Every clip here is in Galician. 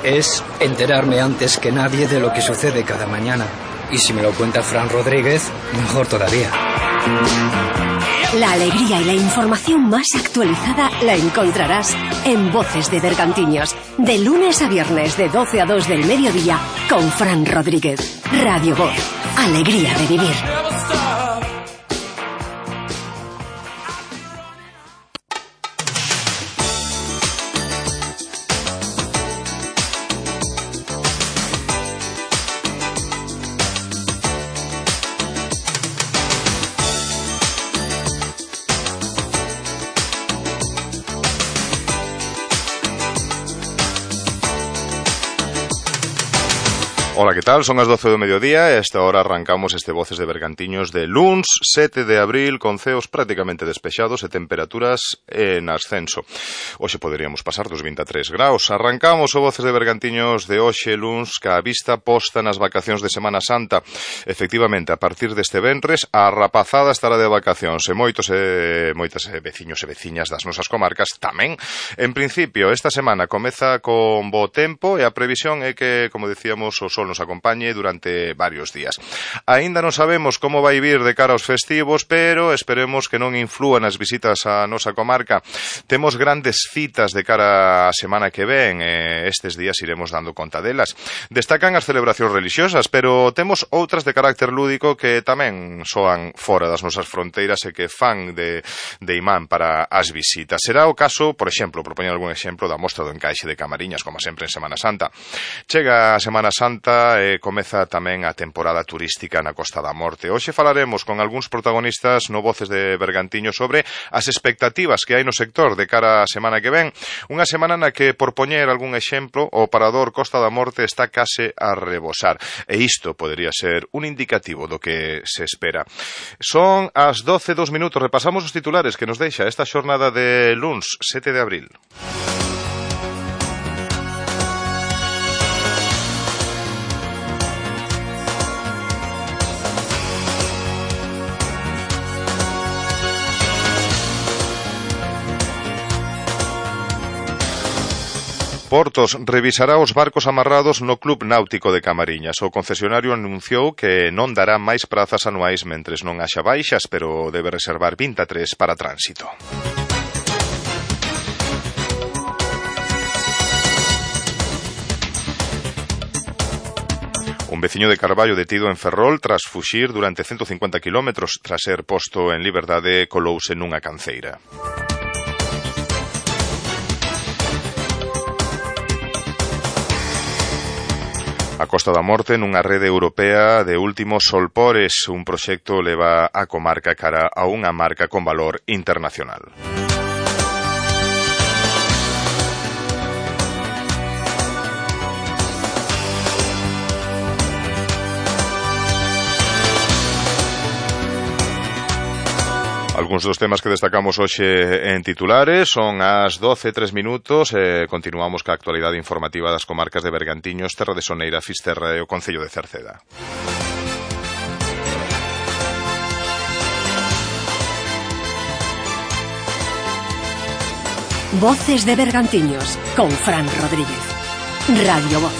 es enterarme antes que nadie de lo que sucede cada mañana. Y si me lo cuenta Fran Rodríguez, mejor todavía. La alegría y la información más actualizada la encontrarás en Voces de Bergantiños, de lunes a viernes de 12 a 2 del mediodía, con Fran Rodríguez. Radio Voz, alegría de vivir. Ola, que tal? Son as 12 do mediodía e a esta hora arrancamos este Voces de Bergantiños de luns 7 de abril con ceos prácticamente despexados e temperaturas en ascenso. Hoxe poderíamos pasar dos 23 graus. Arrancamos o Voces de Bergantiños de hoxe luns ca vista posta nas vacacións de Semana Santa. Efectivamente, a partir deste venres a rapazada estará de vacacións e moitos veciños e veciñas das nosas comarcas tamén. En principio, esta semana comeza con bo tempo e a previsión é que, como decíamos, o sol nos acompañe durante varios días. Aínda non sabemos como vai vir de cara aos festivos, pero esperemos que non inflúan as visitas á nosa comarca. Temos grandes citas de cara á semana que ven, estes días iremos dando conta delas. Destacan as celebracións religiosas, pero temos outras de carácter lúdico que tamén soan fora das nosas fronteiras e que fan de imán para as visitas. Será o caso, por exemplo, propoñer algún exemplo da mostra do encaixe de Camariñas, como sempre en Semana Santa. Chega a Semana Santa e comeza tamén a temporada turística na Costa da Morte. Hoxe falaremos con algúns protagonistas no Voces de Bergantiño sobre as expectativas que hai no sector de cara á semana que ven. Unha semana na que, por poñer algún exemplo, o parador Costa da Morte está case a rebosar. E isto podería ser un indicativo do que se espera. Son as 12:02 minutos. Repasamos os titulares que nos deixa esta xornada de luns 7 de abril. Portos revisará os barcos amarrados no Club Náutico de Camariñas. O concesionario anunciou que non dará máis prazas anuais mentres non haxa baixas, pero debe reservar 23 para tránsito. Un veciño de Carballo detido en Ferrol tras fuxir durante 150 kilómetros. Tras ser posto en liberdade, colouse nunha canceira. A Costa da Morte nunha rede europea de últimos solpores. Un proxecto leva a comarca cara a unha marca con valor internacional. Algúns dos temas que destacamos hoxe en titulares son as 12:03 minutos. Continuamos ca actualidade informativa das comarcas de Bergantiños, Terra de Soneira, Fisterra e o Concello de Cerceda. Voces de Bergantiños, con Fran Rodríguez. Radio Voz.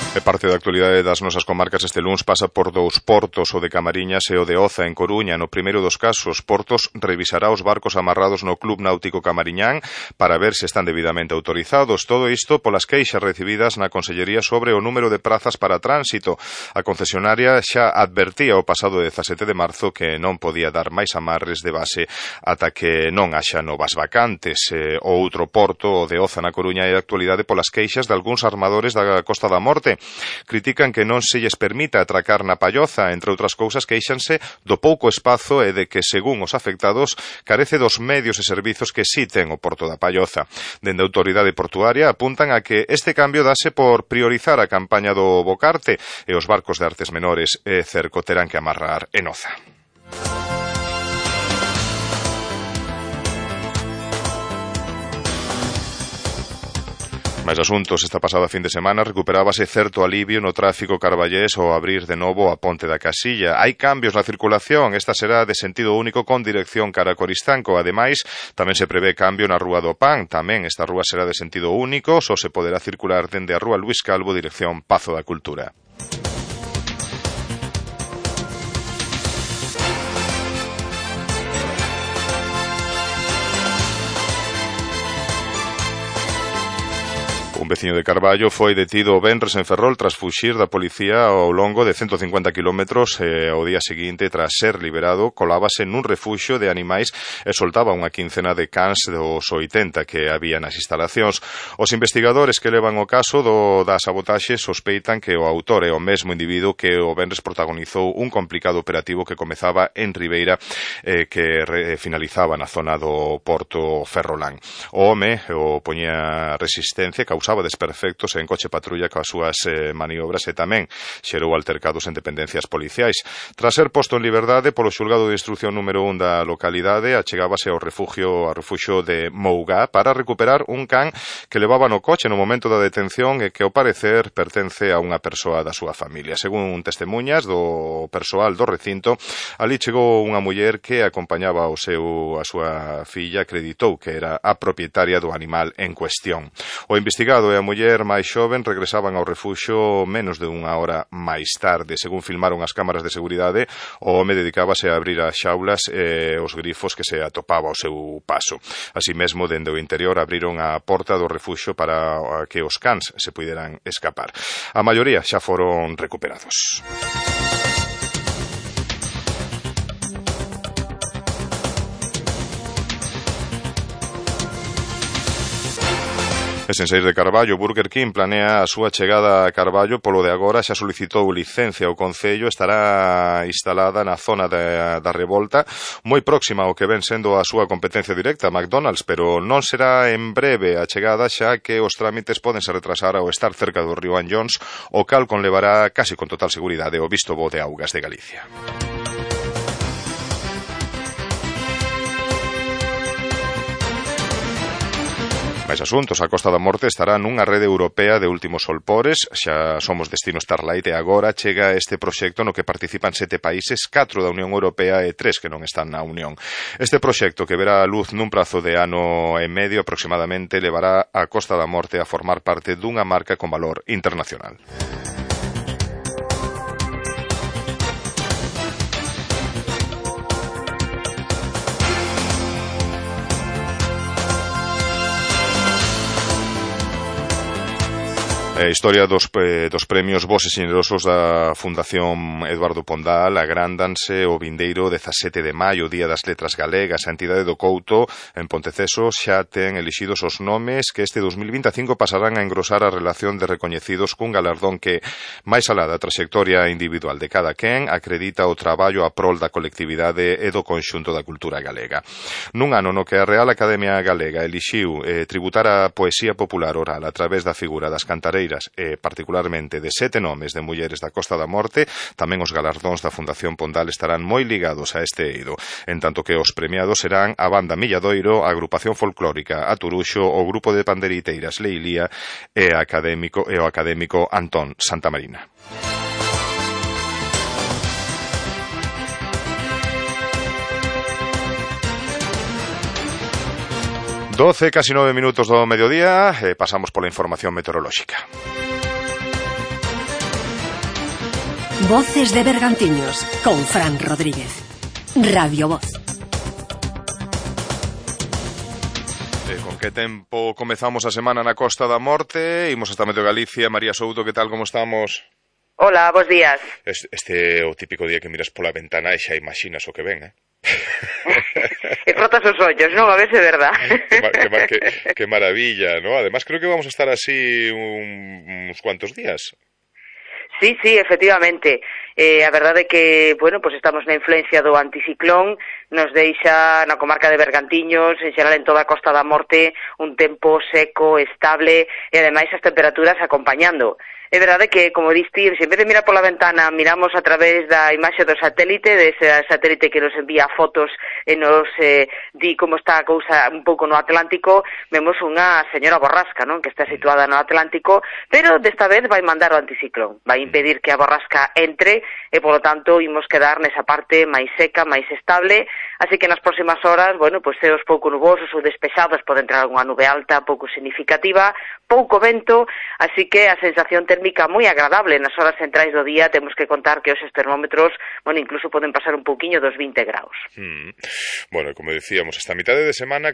E parte da actualidade das nosas comarcas este luns pasa por dous portos, o de Camariñas e o de Oza, en Coruña. No primeiro dos casos, Portos revisará os barcos amarrados no Club Náutico Camariñán para ver se están debidamente autorizados. Todo isto polas queixas recibidas na Consellería sobre o número de prazas para tránsito. A concesionaria xa advertía o pasado 17 de marzo que non podía dar máis amarres de base ata que non haxa novas vacantes. O outro porto, o de Oza na Coruña, é a actualidade polas queixas de algúns armadores da Costa da Morte. Critican que non se lles permita atracar na Palloza, entre outras cousas queixanse do pouco espazo e de que, según os afectados, carece dos medios e servizos que si ten o porto da Palloza. Dende a autoridade portuaria apuntan a que este cambio dase por priorizar a campaña do Bocarte e os barcos de artes menores e cerco terán que amarrar en Oza. Máis asuntos, esta pasada fin de semana recuperábase certo alivio no tráfico carballés ao abrir de novo a Ponte da Casilla. Hai cambios na circulación, esta será de sentido único con dirección cara a Coristanco. Ademais, tamén se prevé cambio na Rúa do Pan, tamén esta rúa será de sentido único, só se poderá circular dende a Rúa Luís Calvo dirección Pazo da Cultura. Un veciño de Carballo foi detido o venres en Ferrol tras fuxir da policía ao longo de 150 kilómetros ao día seguinte, tras ser liberado, colábase nun refuxio de animais e soltaba unha quincena de cans dos 80 que había nas instalacións. Os investigadores que levan o caso da sabotaxe sospeitan que o autor é o mesmo individuo que o venres protagonizou un complicado operativo que comezaba en Ribeira que finalizaba na zona do Porto Ferrolán. O home poñía resistencia, causaba desperfectos en coche patrulla coas súas maniobras e tamén xerou altercados en dependencias policiais. Tras ser posto en liberdade polo xulgado de instrucción número 1 da localidade, achegábase ao refuxio de Mougá para recuperar un can que levaba no coche no momento da detención e que ao parecer pertence a unha persoa da súa familia. Según testemunhas do persoal do recinto, ali chegou unha muller que acompañaba a súa filla, acreditou que era a propietaria do animal en cuestión. O investigado e a muller máis xoven regresaban ao refuxio menos de unha hora máis tarde. Según filmaron as cámaras de seguridade, o home dedicábase a abrir as xaulas e os grifos que se atopaba ao seu paso. Así mesmo, dende o interior abriron a porta do refuxio para que os cans se puderan escapar. A maioría xa foron recuperados. E sen saír de Carballo, Burger King planea a súa chegada a Carballo. Polo de agora xa solicitou licencia ao Concello, estará instalada na zona da Revolta, moi próxima ao que ven sendo a súa competencia directa, McDonald's, pero non será en breve a chegada, xa que os trámites podense retrasar ao estar cerca do río Anllóns, o cal conlevará casi con total seguridade o visto bo de Augas de Galicia. Máis asuntos, a Costa da Morte estará nunha rede europea de últimos solpores, xa somos destino Starlight e agora chega este proxecto no que participan 7 países, 4 da Unión Europea e 3 que non están na Unión. Este proxecto, que verá a luz nun prazo de ano e medio aproximadamente, levará a Costa da Morte a formar parte dunha marca con valor internacional. A historia dos premios Bos e Xenerosos da Fundación Eduardo Pondal agrándanse o vindeiro 17 de maio, Día das Letras Galegas. A entidade do Couto, en Ponteceso, xa ten elixidos os nomes que este 2025 pasarán a engrosar a relación de recoñecidos cun galardón que, máis alá da trayectoria individual de cada quen, acredita o traballo a prol da colectividade e do conxunto da cultura galega. Nun ano no que a Real Academia Galega elixiu tributar a poesía popular oral a través da figura das cantareiras e particularmente de 7 nomes de mulleres da Costa da Morte, tamén os galardóns da Fundación Pondal estarán moi ligados a este eido, en tanto que os premiados serán a Banda Milladoiro, a Agrupación Folclórica A Turuxo, o Grupo de Panderiteiras Leilía e o académico Antón Santamarina. Casi 9 minutos do mediodía, pasamos pola información meteorolóxica. Voces de Bergantiños, con Fran Rodríguez. Radio Voz. Con que tempo comezamos a semana na Costa da Morte? Imos hasta Medio Galicia. María Souto, que tal, como estamos? Hola, bos días. Este é o típico día que miras pola ventana e xa imaginas o que ven, E frotas os ollos, non? A ver se é verdad. Que maravilla, ¿no? Además, creo que vamos a estar así uns cuantos días. Sí, efectivamente. A verdade é que, bueno, pues estamos na influencia do anticiclón, nos deixa na comarca de Bergantiños, en xeral en toda a Costa da Morte, un tempo seco, estable e ademais as temperaturas acompañando. É verdade que, como diste, se en vez de mirar pola ventana, miramos a través da imaxe do satélite, dese satélite que nos envía fotos e nos di como está a cousa un pouco no Atlántico, vemos unha señora borrasca, non? Que está situada no Atlántico, pero desta vez vai mandar o anticiclón, vai impedir que a borrasca entre e, polo tanto, imos quedar nesa parte máis seca, máis estable, así que nas próximas horas, bueno, pois ceos pouco nubosos ou despexados, pode entrar unha nube alta pouco significativa, pouco vento, así que a sensación térmica moi agradable nas horas centrais do día. Temos que contar que os termómetros, bueno, incluso poden pasar un pouquiño dos 20 graus. Bueno, como decíamos, esta mitade de semana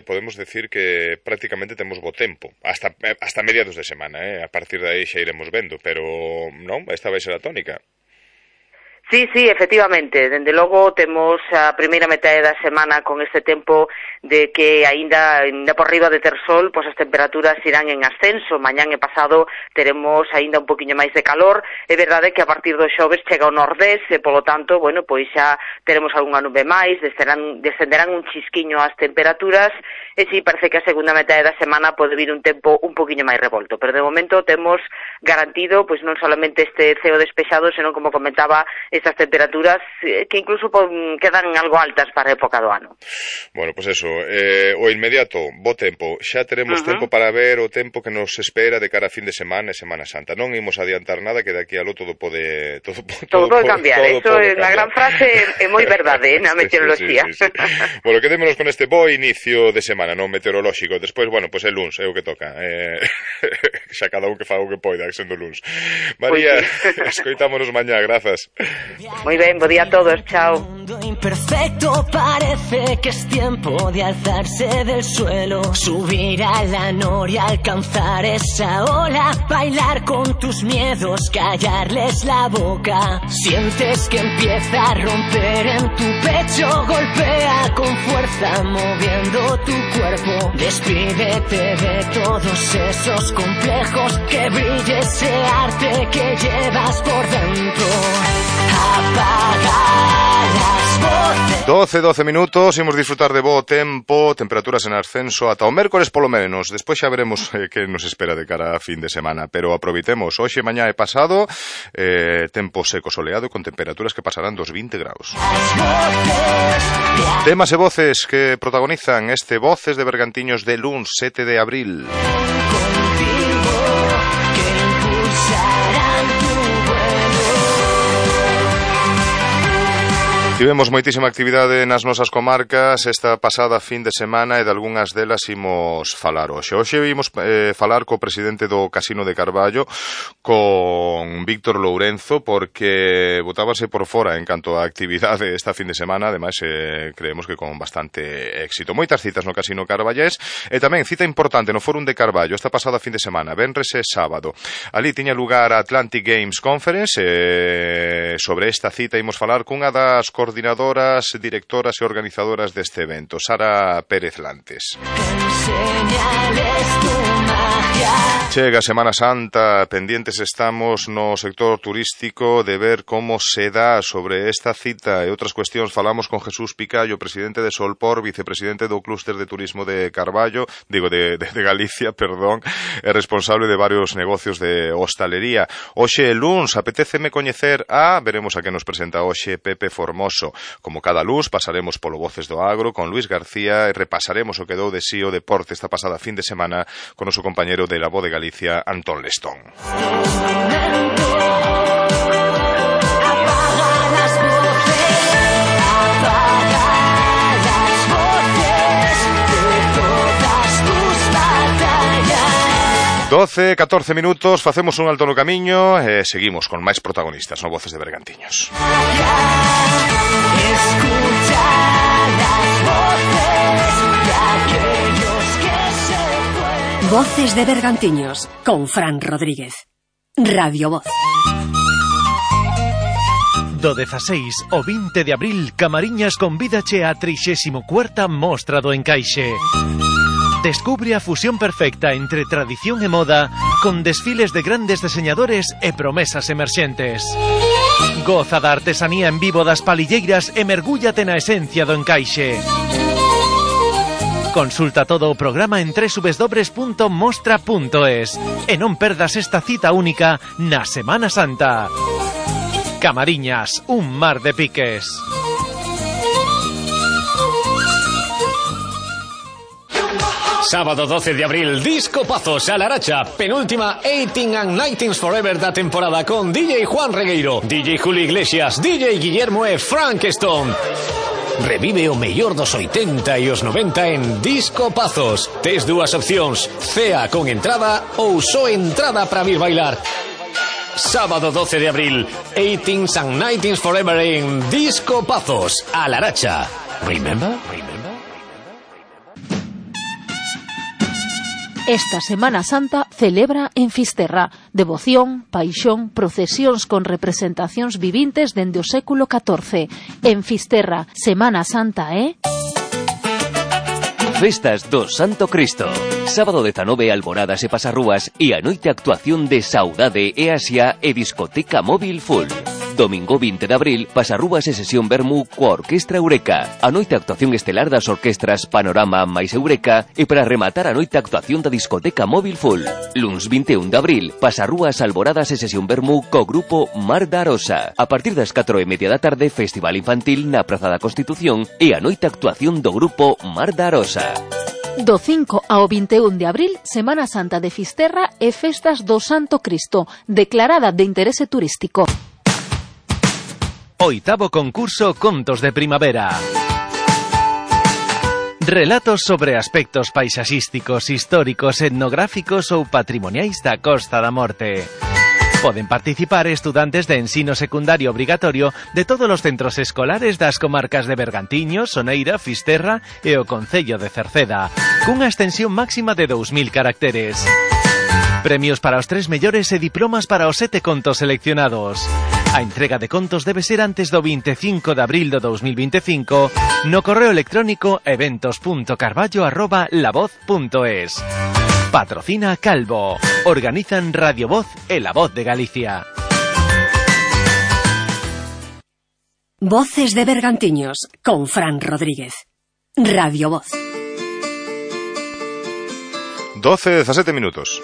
podemos decir que prácticamente temos bo tempo, hasta mediados de semana, a partir de aí xa iremos vendo, pero non, esta vai ser a tónica. Sí, efectivamente, dende logo temos a primeira metade da semana con este tempo de que aínda por riba de ter sol, pois as temperaturas irán en ascenso. Mañán e pasado teremos aínda un poquinho máis de calor. É verdade que a partir do xoves chega o nordés e, polo tanto, bueno, pois xa teremos algunha nube máis, descenderán un chisquiño as temperaturas e si parece que a segunda metade da semana pode vir un tempo un poquinho máis revolto. Pero de momento temos garantido pois non solamente este ceo despexado, senón, como comentaba, estas temperaturas que incluso quedan algo altas para a época do ano. Bueno, pois eso, o inmediato, bo tempo, xa teremos tempo para ver o tempo que nos espera de cara a fin de semana e Semana Santa. Non imos adiantar nada, que de aquí aló todo pode cambiar. Eso é unha gran frase, é moi verdade na meteoroloxía. Sí. Bueno, quedémonos con este bo inicio de semana, non meteorolóxico. Despois, bueno, pois é luns, é o que toca. Xa cada un que faga o que poida, sendo luns. María, escoitámonos mañá, grazas. Muy bien, buen día a todos, chao. Imperfecto, parece que es tiempo de alzarse del suelo, subir a la noria, alcanzar esa ola, bailar con tus miedos, callarles la boca. Sientes que empieza a romper en tu pecho, golpea con fuerza moviendo tu cuerpo. Despídete de todos esos complejos, que brille ese arte que llevas por dentro. Apaga las voces. 12 minutos, imos disfrutar de bo tempo, temperaturas en ascenso ata o mércores polo menos. Despois xa veremos que nos espera de cara a fin de semana, pero aproveitemos hoxe, mañá e pasado, tempo seco soleado con temperaturas que pasarán dos 20 graus. Temas e voces que protagonizan este Voces de Bergantiños de luns 7 de abril. Tivemos moitísima actividade nas nosas comarcas esta pasada fin de semana e de algunhas delas imos falar hoxe. Hoxe imos falar co presidente do Casino de Carballo, con Víctor Lourenzo, porque botábase por fora en canto a actividade esta fin de semana, ademais creemos que con bastante éxito. Moitas citas no Casino Carballés e tamén cita importante no Fórum de Carballo esta pasada fin de semana, venres e sábado. Ali tiña lugar a Atlantic Games Conference e sobre esta cita imos falar cunha das coordinadoras, directoras e organizadoras deste evento, Sara Pérez Lantes. Chega Semana Santa, pendientes estamos no sector turístico de ver como se dá sobre esta cita e outras cuestións. Falamos con Jesús Picallo, presidente de Solpor, vicepresidente do Clúster de Turismo de Carballo, de Galicia, perdón, e responsable de varios negocios de hostalería. Hoxe luns, apetéceme coñecer veremos a que nos presenta hoxe Pepe Formoso. Como cada luns, pasaremos polo Voces do Agro con Luis García e repasaremos o que dou de sí o deporte esta pasada fin de semana con o noso compañero de La Voz de Galicia, Antón Lestón. Doce, 14 minutos, facemos un alto no camiño e seguimos con máis protagonistas no Voces de Bergantiños. Voces de Bergantiños con Fran Rodríguez. Radio Voz. Do 16 ao 20 de abril, Camariñas convídache á 34ª Mostra do Encaixe. Descubre a fusión perfecta entre tradición e moda, con desfiles de grandes diseñadores e promesas emerxentes. Goza da artesanía en vivo das palilleiras e mergúllate na esencia do encaixe. Consulta todo o programa en www.mostra.es e non perdas esta cita única na Semana Santa. Camariñas, un mar de piques. Sábado 12 de abril, Disco Pazos a Laracha, penúltima 18 and 19 Forever da temporada con DJ Juan Regueiro, DJ Julio Iglesias, DJ Guillermo e Frank Stone. Revive o mellor dos 80 e os 90 en Disco Pazos. Tes dúas opcións, cea con entrada ou só entrada para vir bailar. Sábado 12 de abril, 18 and 19 Forever en Disco Pazos a Laracha. Remember? Esta Semana Santa celebra en Fisterra devoción, paixón, procesións con representacións vivintes dende o século XIV. En Fisterra, Semana Santa, Festas do Santo Cristo. Sábado 19, alboradas e pasarrúas e a noite actuación de Saudade e Asia e discoteca móvil full. Domingo 20 de abril, pasarrúas e sesión vermú coa Orquestra Eureka. A noite actuación estelar das orquestras Panorama máis Eureka e para rematar a noite actuación da discoteca móvil full. Luns 21 de abril, pasarrúas, alboradas e sesión vermú co grupo Mar da Arosa. A partir das 4:30 da tarde, festival infantil na Praza da Constitución e a noite actuación do grupo Mar da Arosa. Do 5 ao 21 de abril, Semana Santa de Fisterra e Festas do Santo Cristo, declarada de interese turístico. Oitavo concurso Contos de Primavera. Relatos sobre aspectos paisaxísticos, históricos, etnográficos ou patrimoniais da Costa da Morte. Poden participar estudantes de ensino secundario obrigatorio de todos os centros escolares das comarcas de Bergantiños, Soneira, Fisterra e o concello de Cerceda, cunha extensión máxima de 2000 caracteres. Premios para os 3 mellores e diplomas para os 7 contos seleccionados. A entrega de contos debe ser antes do 25 de abril do 2025 no correo electrónico eventos.carballo@lavoz.es. Patrocina Calvo. Organizan Radio Voz e La Voz de Galicia. Voces de Bergantiños con Fran Rodríguez. Radio Voz. 12:17 minutos.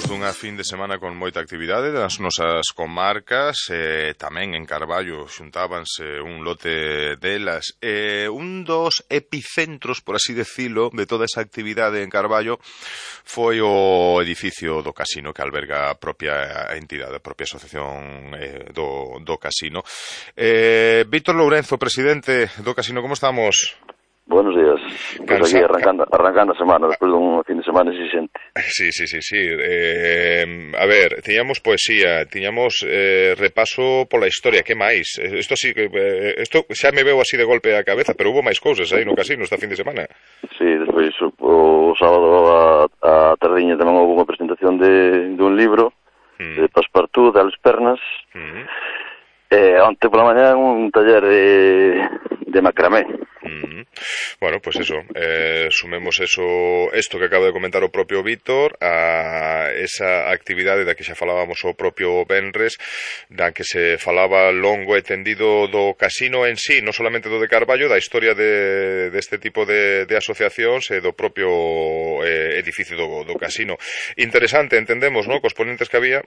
Dunha fin de semana con moita actividade das nosas comarcas, tamén en Carballo xuntábanse un lote delas, un dos epicentros, por así decirlo, de toda esa actividade en Carballo foi o edificio do casino que alberga a propia entidade, a propia asociación do casino. Víctor Lourenzo, presidente do casino, como estamos? Buenos días. Pues aquí arrancando a semana, despois dun fin de semana exixente. Sí. A ver, tiñamos poesía, tiñamos repaso pola historia, que máis? Isto xa me veo así de golpe a cabeza, pero hubo máis cousas aí no casino esta fin de semana. Sí, despois o sábado a tardiña tamén houve unha presentación dun libro de Passepartout, de Alex Pernas. Onte pola mañá un taller de macramé. Bueno, pues eso, sumemos esto que acaba de comentar o propio Víctor, a esa actividade da que xa falábamos o propio Benres, da que se falaba longo e tendido do casino en sí, non solamente do de Carballo, da historia deste tipo de asociacións e do propio edificio do casino. Interesante, entendemos, ¿no?, cos ponentes que había.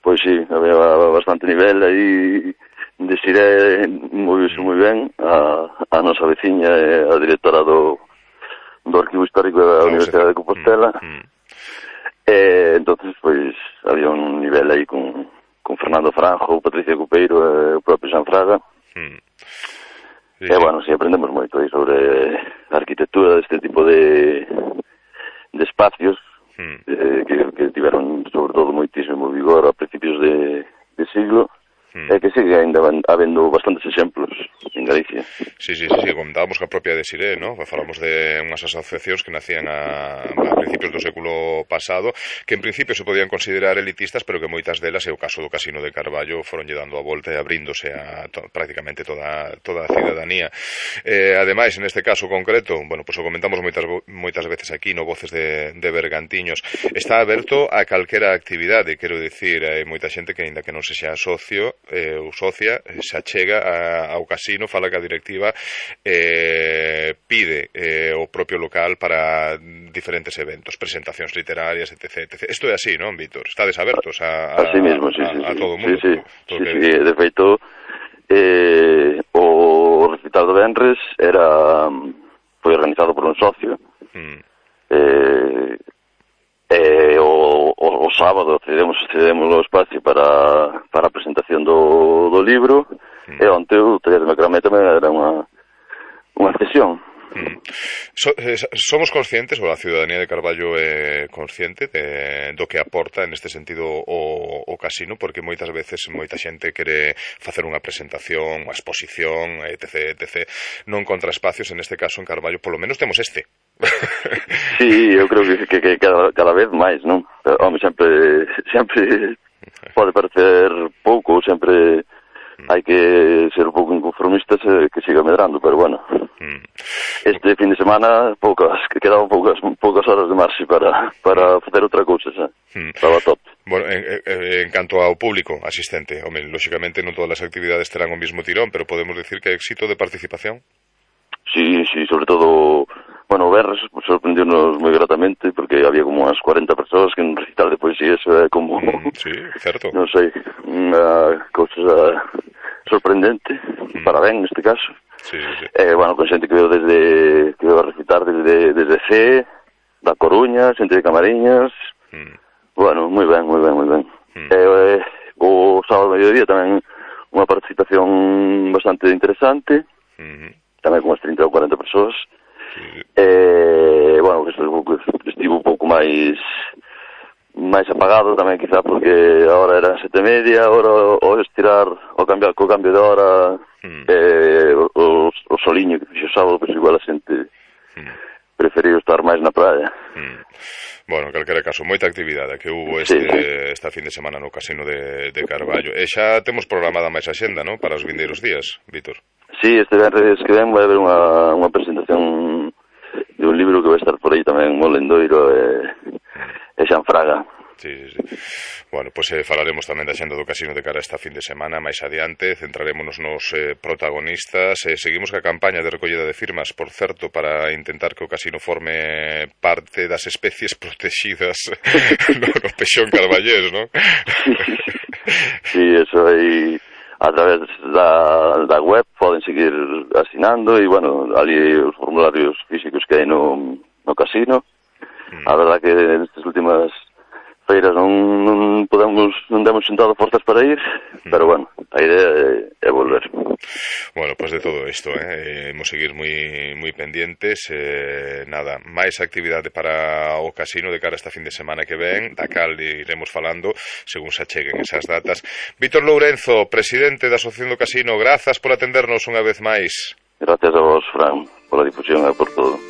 Pois sí, había bastante nivel aí. Desiré moi ben a nosa veciña e a directora do Arquivo Histórico da Universidade de Compostela. Entonces, pois, había un nivel aí con Fernando Franjo, Patricia Cupeiro e o propio Xan Fraga. Bueno, sí, aprendemos moito aí sobre a arquitectura deste tipo de espacios que tiveron, sobre todo, moitísimo vigor a principios de siglo. É que sigue ainda habendo bastantes exemplos en Galicia. Sí, comentábamos que a propia de Siré, ¿no? Falamos de unhas asociacións que nacían a principios do século pasado, que en principio se podían considerar elitistas, pero que moitas delas, é o caso do Casino de Carballo, foron lle dando a volta e abríndose a prácticamente toda a cidadanía. Ademais, en este caso concreto, bueno, pues o comentamos moitas veces aquí no Voces de Bergantiños, está aberto a calquera actividade, quero dicir, hai moita xente que, aínda que non se xa socio ou socia, se achega ao casino, fala que a directiva pide o propio local para diferentes eventos, presentacións literarias, etc. Isto é así, non, Víctor? Estades abertos a todo o mundo? Sí. De feito, o recital do Venres foi organizado por un socio. O sábado cedemos o espacio para a presentación do libro, e onte o taller de macramé tamén era unha sesión. Somos conscientes, ou a ciudadanía de Carballo é consciente do que aporta neste sentido o casino, porque moitas veces moita xente quere facer unha presentación, unha exposición, etc. Non encontra espacios, en este caso en Carballo, polo menos temos este. Sí, eu creo que cada vez máis, non? Home, sempre pode parecer pouco, sempre hai que ser un pouco inconformistas que siga medrando, pero bueno, este fin de semana quedaban poucas horas de marxe para facer outra cousa, estaba top. Bueno, en canto ao público asistente, home, lóxicamente non todas as actividades terán o mismo tirón, pero podemos decir que éxito de participación? Sí, sobre todo, bueno, o Verres sorprendeu-nos moi gratamente, porque había como unas 40 persoas que en recital de poesía, eso é como... Sí, certo. Non sei, unha cousa sorprendente, para ben neste caso. Sí. Bueno, con xente que veo a recitar desde C, da Coruña, xente de Camariñas, bueno, moi ben. O sábado mediodía tamén unha participación bastante interesante, tamén con unas 30 ou 40 persoas. Bueno, estivo un pouco máis apagado tamén, quizá porque a hora era 7:30, agora ao estirar, co cambio de hora, o soliño que fixo o sábado, pois igual a xente preferiu estar máis na praia. Bueno, en calquera caso, moita actividade que hubo esta fin de semana no Casino de Carballo. E xa temos programada máis axenda, non? Para os vindeiros días, Víctor. Sí, este venres que ven vai haber unha presentación de un libro que vai estar por aí tamén, Molendoiro e Xanfraga. Sí. Bueno, pois falaremos tamén da xenda do Casino de cara esta fin de semana máis adiante, centrarémonos nos protagonistas, seguimos ca campaña de recollida de firmas, por certo, para intentar que o casino forme parte das especies protegidas no pexón carballés, non? Sí, eso aí a través da web poden seguir asinando e, bueno, ali os formularios físicos que hai no casino. A verdad que nestas últimas feiras non demos sentado forzas para ir, pero bueno, a idea é volver. Bueno, pues de todo isto, imos seguir moi pendientes, nada, máis actividade para o casino de cara a esta fin de semana que ven, da cal iremos falando según se acheguen esas datas. Víctor Lourenzo, presidente da Asociación do Casino, grazas por atendernos unha vez máis. Gracias a vos, Fran, pola difusión e por todo.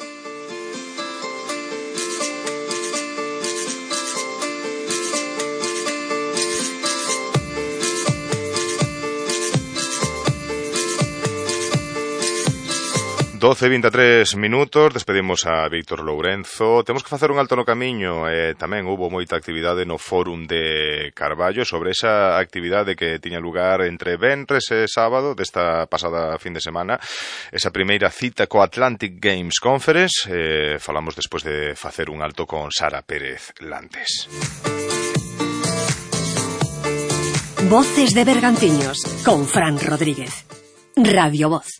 Doce 23 minutos, despedimos a Víctor Lourenzo. Temos que facer un alto no camiño, tamén houbo moita actividade no Fórum de Carballo sobre esa actividade que tiña lugar entre venres e sábado desta pasada fin de semana, esa primeira cita co Atlantic Games Conference. Falamos despois de facer un alto con Sara Pérez Lantes. Voces de Bergantiños con Fran Rodríguez. Radio Voz.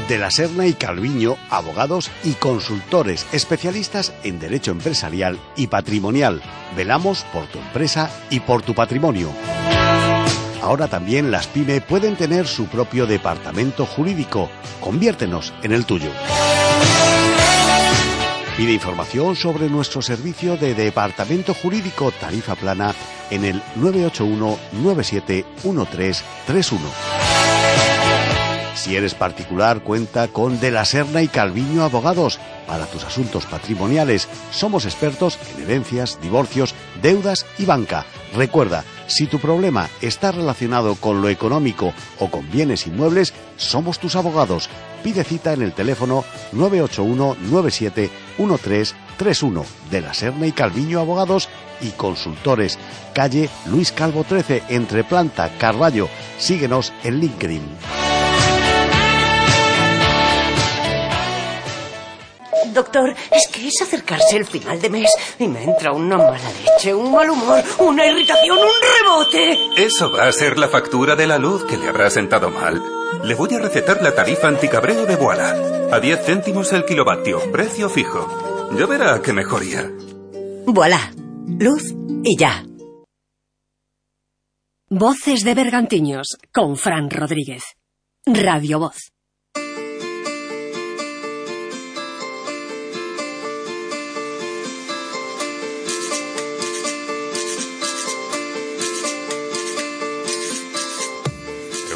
De la Serna y Calviño, abogados y consultores especialistas en derecho empresarial y patrimonial. Velamos por tu empresa y por tu patrimonio. Ahora también las PYME pueden tener su propio departamento jurídico. Conviértenos en el tuyo. Pide información sobre nuestro servicio de Departamento Jurídico Tarifa Plana en el 981 971331. Si eres particular, cuenta con De la Serna y Calviño Abogados. Para tus asuntos patrimoniales, somos expertos en herencias, divorcios, deudas y banca. Recuerda, si tu problema está relacionado con lo económico o con bienes inmuebles, somos tus abogados. Pide cita en el teléfono 981 971331. De la Serna y Calviño Abogados y Consultores. Calle Luis Calvo 13, entre Planta, Carballo. Síguenos en LinkedIn. Doctor, es que es acercarse el final de mes y me entra una mala leche, un mal humor, una irritación, un rebote. Eso va a ser la factura de la luz que le habrá sentado mal. Le voy a recetar la tarifa anticabreo de Voilà. A 10 céntimos el kilovatio, precio fijo. Ya verá qué mejoría. Voilà, luz y ya. Voces de Bergantiños con Fran Rodríguez. Radio Voz.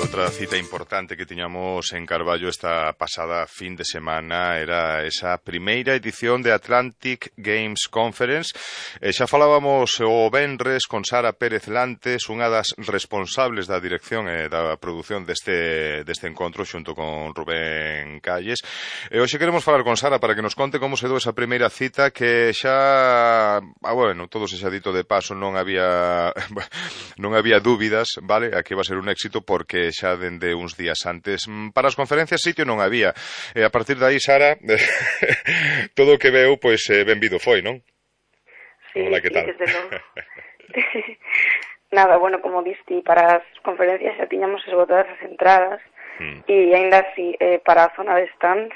Outra cita importante que tiñamos en Carballo esta pasada fin de semana era esa primeira edición de Atlantic Games Conference. Xa falábamos o venres con Sara Pérez Lantes, unha das responsables da dirección e da produción deste encontro xunto con Rubén Calles. E hoxe queremos falar con Sara para que nos conte como se dou esa primeira cita que xa, bueno, todo se xa dito de paso, non había dúbidas, vale, a que iba a ser un éxito porque xa dende uns días antes para as conferencias sitio non había, e a partir de aí, Sara, todo o que veu, pois benvido foi, non? Sí, hola, que tal? Desde logo. Nada, bueno, como diste, para as conferencias xa tiñamos esgotadas as entradas e ainda así, para a zona de stands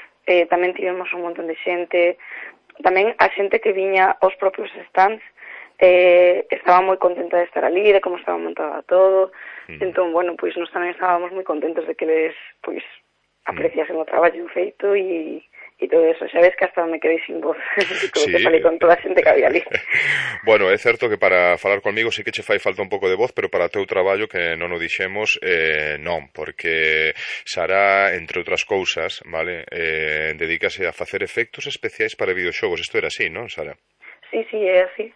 tamén tivemos un montón de xente, tamén a xente que viña aos propios stands estaba moi contenta de estar ali, de como estaba montada todo. Entón, bueno, pois nós tamén estábamos moi contentos de que les, pois, apreciasen o traballo feito e todo eso. Xa ves que hasta me quedei sin voz, como que falei con toda a xente que había ali. Bueno, é certo que para falar conmigo sí que che fai falta un pouco de voz, pero para o teu traballo, que non o dixemos, non, porque Sara, entre outras cousas, vale, dedícase a facer efectos especiais para videoxogos. Isto era así, non, Sara? Sí, é así.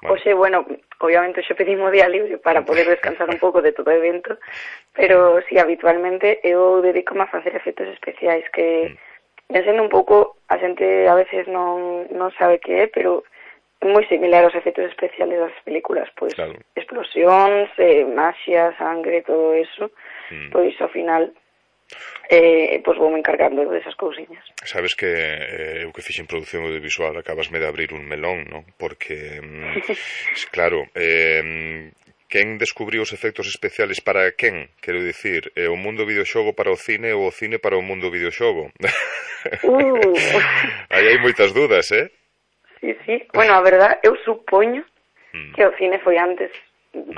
Oxe, bueno, obviamente xe pedimos día libre para poder descansar un pouco de todo o evento, pero sí, habitualmente eu dedícome a facer efectos especiais que, sendo un pouco, a xente a veces non sabe que é, pero é moi similar aos efectos especiales das películas, pois claro. Explosións, maxia, sangre, todo eso, pois ao final pois voume encargando desas cousiñas. Sabes que eu que fixen produción audiovisual acabasme de abrir un melón, non? Porque, claro, quen descubriu os efectos especiales para quen? Quero dicir, o mundo videoxogo para o cine ou o cine para o mundo videoxogo? Aí hai moitas dudas, Sí. Bueno, a verdad, eu supoño que o cine foi antes,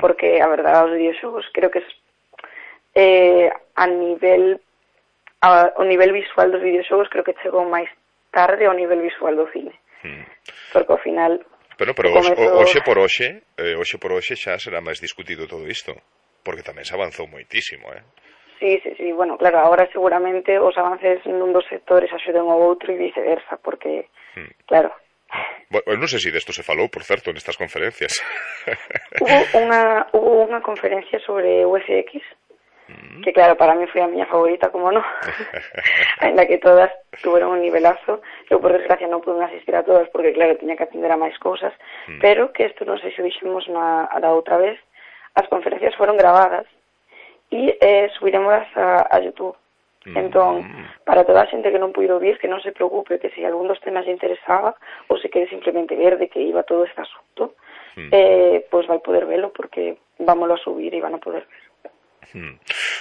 porque a verdad os videoxogos creo que o nivel visual dos videoxogos creo que chegou máis tarde ao nivel visual do cine. Porque ao final... Pero hoxe por hoxe xa será máis discutido todo isto, porque tamén se avanzou moitísimo, Sí, bueno, claro, agora seguramente os avances nun dos sectores axuden ao outro e viceversa, porque, claro... Bueno, non sei se desto se falou, por certo, nestas conferencias. Hubo unha conferencia sobre UFX, que claro, para mí foi a miña favorita, como non, ainda que todas tuveron un nivelazo. Eu por desgracia non pude asistir a todas porque claro, tiña que atender a máis cousas, pero que isto non sei se dixemos a outra vez, as conferencias foron gravadas e subiremos a YouTube. Entón, para toda a xente que non puido vir, que non se preocupe, que se algún dos temas lle interesaba ou se quere simplemente ver de que iba todo este asunto, pois vai poder velo porque vámoslo a subir e van a poder ver.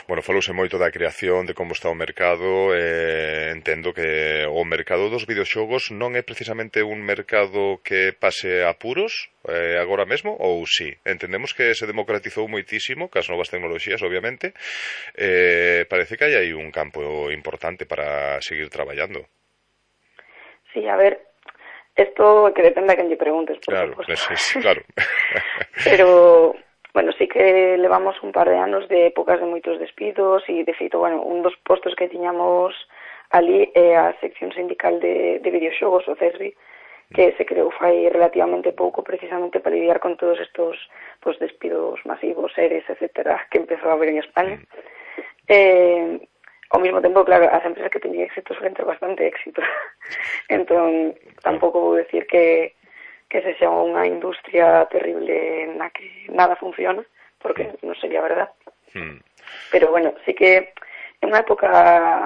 Bueno, falouse moito da creación, de como está o mercado, entendo que o mercado dos videoxogos non é precisamente un mercado que pase apuros agora mesmo, ou sí? Entendemos que se democratizou moitísimo, cas novas tecnoloxías, obviamente, parece que hai aí un campo importante para seguir traballando. Sí, a ver, Esto que depende a quen lle preguntes, por claro, suposto. Claro. Pero, bueno, sí que levamos un par de anos de épocas de moitos despidos e, de feito, bueno, un dos postos que tiñamos ali é a sección sindical de videoxogos, o CESBI, que se creou fai relativamente pouco precisamente para lidiar con todos estos pues, despidos masivos, seres, etcétera, que empezou a haber en España. Ao mesmo tempo, claro, as empresas que teñen éxito suelen ter bastante éxito. Entón, tampouco vou decir que se xa unha industria terrible na que nada funciona, porque non sería verdad. Pero, bueno, sí que é unha época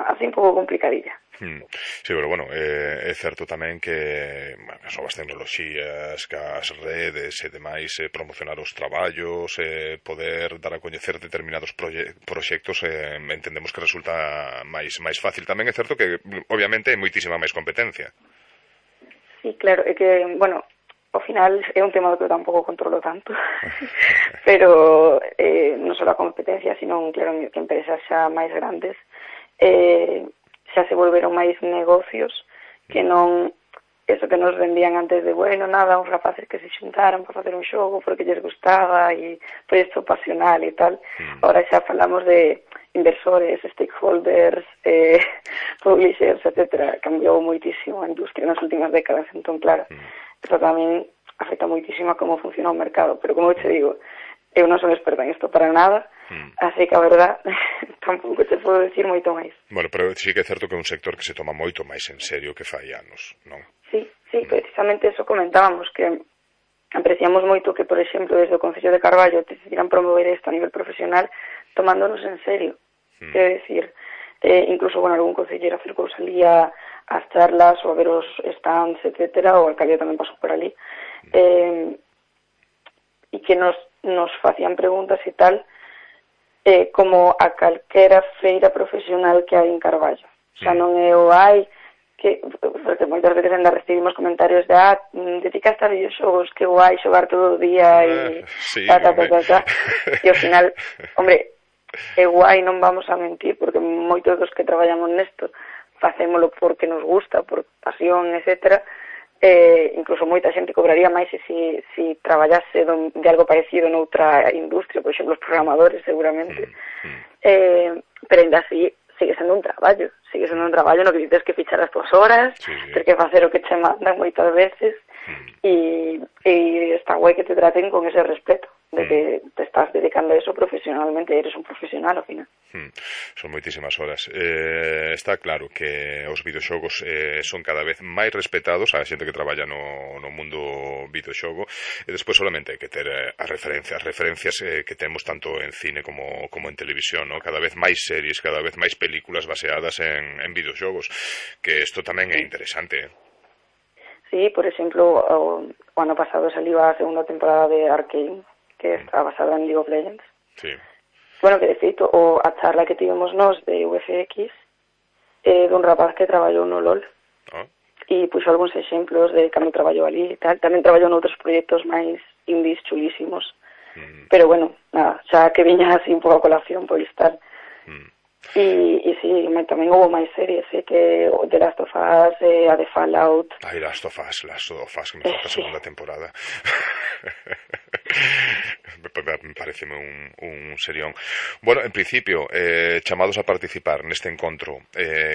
así un pouco complicadilla. Sí, pero bueno, é certo tamén que as novas tecnoloxías, que as redes e demais, promocionar os traballos, poder dar a coñecer determinados proxectos, entendemos que resulta máis fácil. Tamén é certo que, obviamente, hai moitísima máis competencia. Sí, claro, é que, bueno, ao final é un tema que eu tampouco controlo tanto, pero non só a competencia, sino, claro, que empresas xa máis grandes xa se volveron máis negocios que non eso que nos vendían antes de, bueno, nada, uns rapaces que se xuntaran para facer un xogo porque lles gustaba e proxecto pasional e tal. Ahora xa falamos de inversores, stakeholders, publishers, etcétera. Cambiou moitísimo a industria nas últimas décadas, entón, claro, eso tamén afecta moitísimo a como funciona o mercado, pero como te digo, eu non son experta en isto para nada, así que a verdad tampouco te podo decir moito máis. Bueno, pero sí que é certo que é un sector que se toma moito máis en serio que fai anos, non? Sí, precisamente eso comentábamos, que apreciamos moito que, por exemplo, desde o Concello de Carballo decidiran promover isto a nivel profesional tomándonos en serio. Quero decir, incluso, bueno, algún concellero acercouse ali a as charlas ou a ver os stands, etcétera, o alcalde tamén pasou por ali, e que nos facían preguntas e tal, como a calquera feira profesional que hai en Carballo. Xa non é o hai, que, porque moitas veces ainda recibimos comentarios de dedicaste a videoxogos, que guai xogar todo o día e e ao final, hombre, é guai, non vamos a mentir, porque moitos dos que traballamos nesto facémolo porque nos gusta, por pasión, etcétera. Incluso moita xente cobraría máis se traballase de algo parecido noutra industria, por exemplo, os programadores, seguramente. Pero ainda así, sigue sendo un traballo no que dices que fichar as túas horas, ter que facer o que che mandan moitas veces, e está guai que te traten con ese respeto de que te estás dedicando a eso profesionalmente, eres un profesional ao final. Son moitísimas horas. Está claro que os videoxogos son cada vez máis respetados a xente que traballa no mundo videoxogo, e despois solamente hai que ter as referencias que temos tanto en cine como en televisión, ¿no? Cada vez máis series, cada vez máis películas baseadas en videoxogos, que isto tamén é interesante. Sí, por exemplo, o ano pasado saliu a segunda temporada de Arcane, que está basada en League of Legends. Sí. Bueno, que de feito, a charla que tivemos nós de UFX dun rapaz que traballou no LOL e puxo algúns exemplos de cando traballou ali e tal. Tamén traballou noutros proxectos máis indies chulísimos. Pero bueno, nada, xa que viña así un pouco a colación por estar. E sí, tamén houve máis series, que The Last of Us, a de Fallout. Last of Us, que me falta a segunda temporada. Me parece un serión. Bueno, en principio, chamados a participar neste encontro,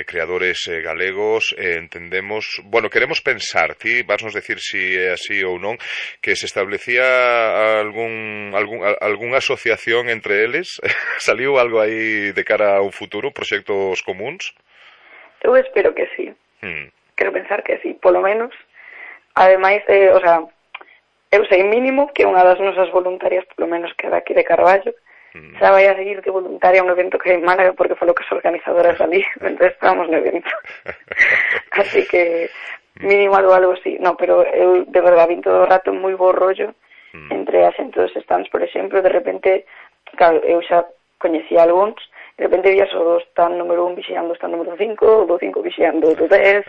creadores galegos, entendemos, bueno, queremos pensar, ti vasnos decir si é así ou non, que se establecía algunha asociación entre eles. Saliu algo aí de cara a un futuro, proxectos comuns? Eu espero que sí. Quero pensar que sí, polo menos. Ademais, o sea, eu sei mínimo que unha das nosas voluntarias, polo menos que daqui de Carballo, xa vai a seguir de voluntaria a un evento que hai en Málaga, porque falou que as organizadoras ali, mentre estábamos no evento. Así que mínimo algo así. No, pero eu de verdade vim todo o rato moi bo rollo entre a xente dos stands, por exemplo, de repente, claro, eu xa coñecía algúns, de repente vías o stand número 1 vixiando o stand número 5, o do 5 vixiando o do 10,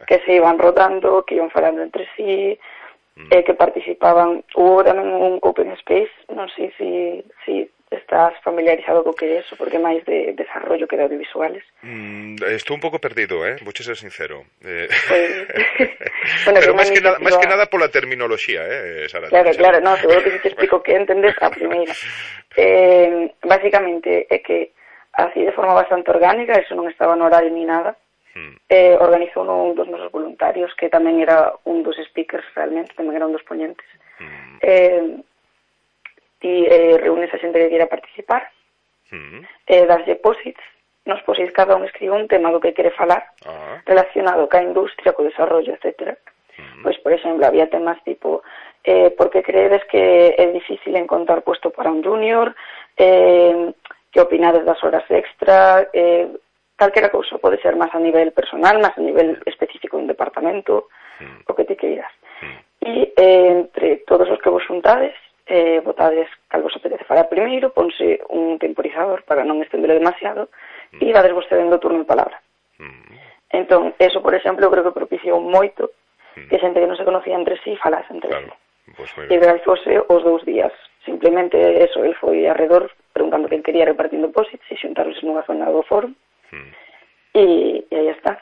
que se iban rotando, que iban falando entre sí, que participaban. Hubo tamén un open space, non sei se estás familiarizado co que é eso, porque máis de desarrollo que de audiovisuales. Estou un pouco perdido, vou ser sincero. Bueno, pero máis que nada pola terminoloxía, Sara. Claro, no, seguro que si te explico que entendes a primeira. Básicamente é que así de forma bastante orgánica, eso non estaba no horario ni nada, organizou un dos nosos voluntarios, que tamén era un dos speakers realmente, tamén era un dos ponentes. Reúnes a xente que queira participar, das depósitos, nos posits cada un escribe un tema do que quere falar relacionado ca industria, co desarrollo, etc. Pois, por exemplo, había temas tipo por que creedes que é difícil encontrar puesto para un junior, que opinades das horas extra, calquera cousa, pode ser máis a nivel personal, máis a nivel específico dun departamento, o que te queiras. E entre todos os que vos xuntades, votades cal vos apetece falar primeiro, ponse un temporizador para non estendelo demasiado, e dades vos cedendo turno de palabra. Entón, eso, por exemplo, creo que propiciou moito que xente que non se conocía entre sí falase entre sí. E realizóse os 2 días. Simplemente eso, el foi arredor preguntando quen quería repartindo depósitos e xuntarse nunha zona do foro. E aí está.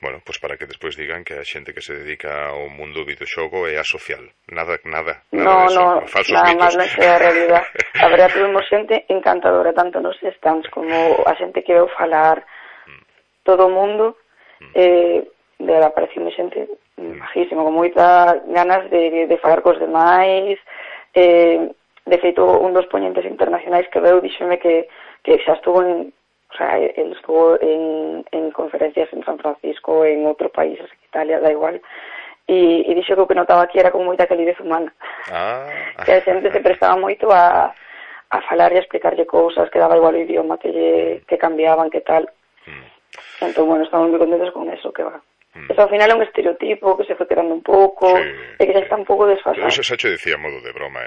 Bueno, pois para que despois digan que a xente que se dedica ao mundo videoxogo é asocial. Nada no, falsos nada mitos. Máis non é a realidad. A verdade, tuvimos xente encantadora, tanto nos stands como a xente que veu falar, todo o mundo, apareceu xente majísima, con moita ganas de falar cos demais. De feito, un dos poñentes internacionais que veu díxome que xa estuvo él estuvo en conferencias en San Francisco, en outro país, Italia, da igual, e dixo que o que notaba aquí era con moita calidez humana. Que a xente se prestaba moito a falar e a explicarlle cousas, que daba igual o idioma que cambiaban, que tal. Entón, bueno, estamos moi contentos con eso, que va. Eso ao final é un estereotipo que se foi quedando un pouco, e que xa está un pouco desfasado. Eso xa che decía a modo de broma,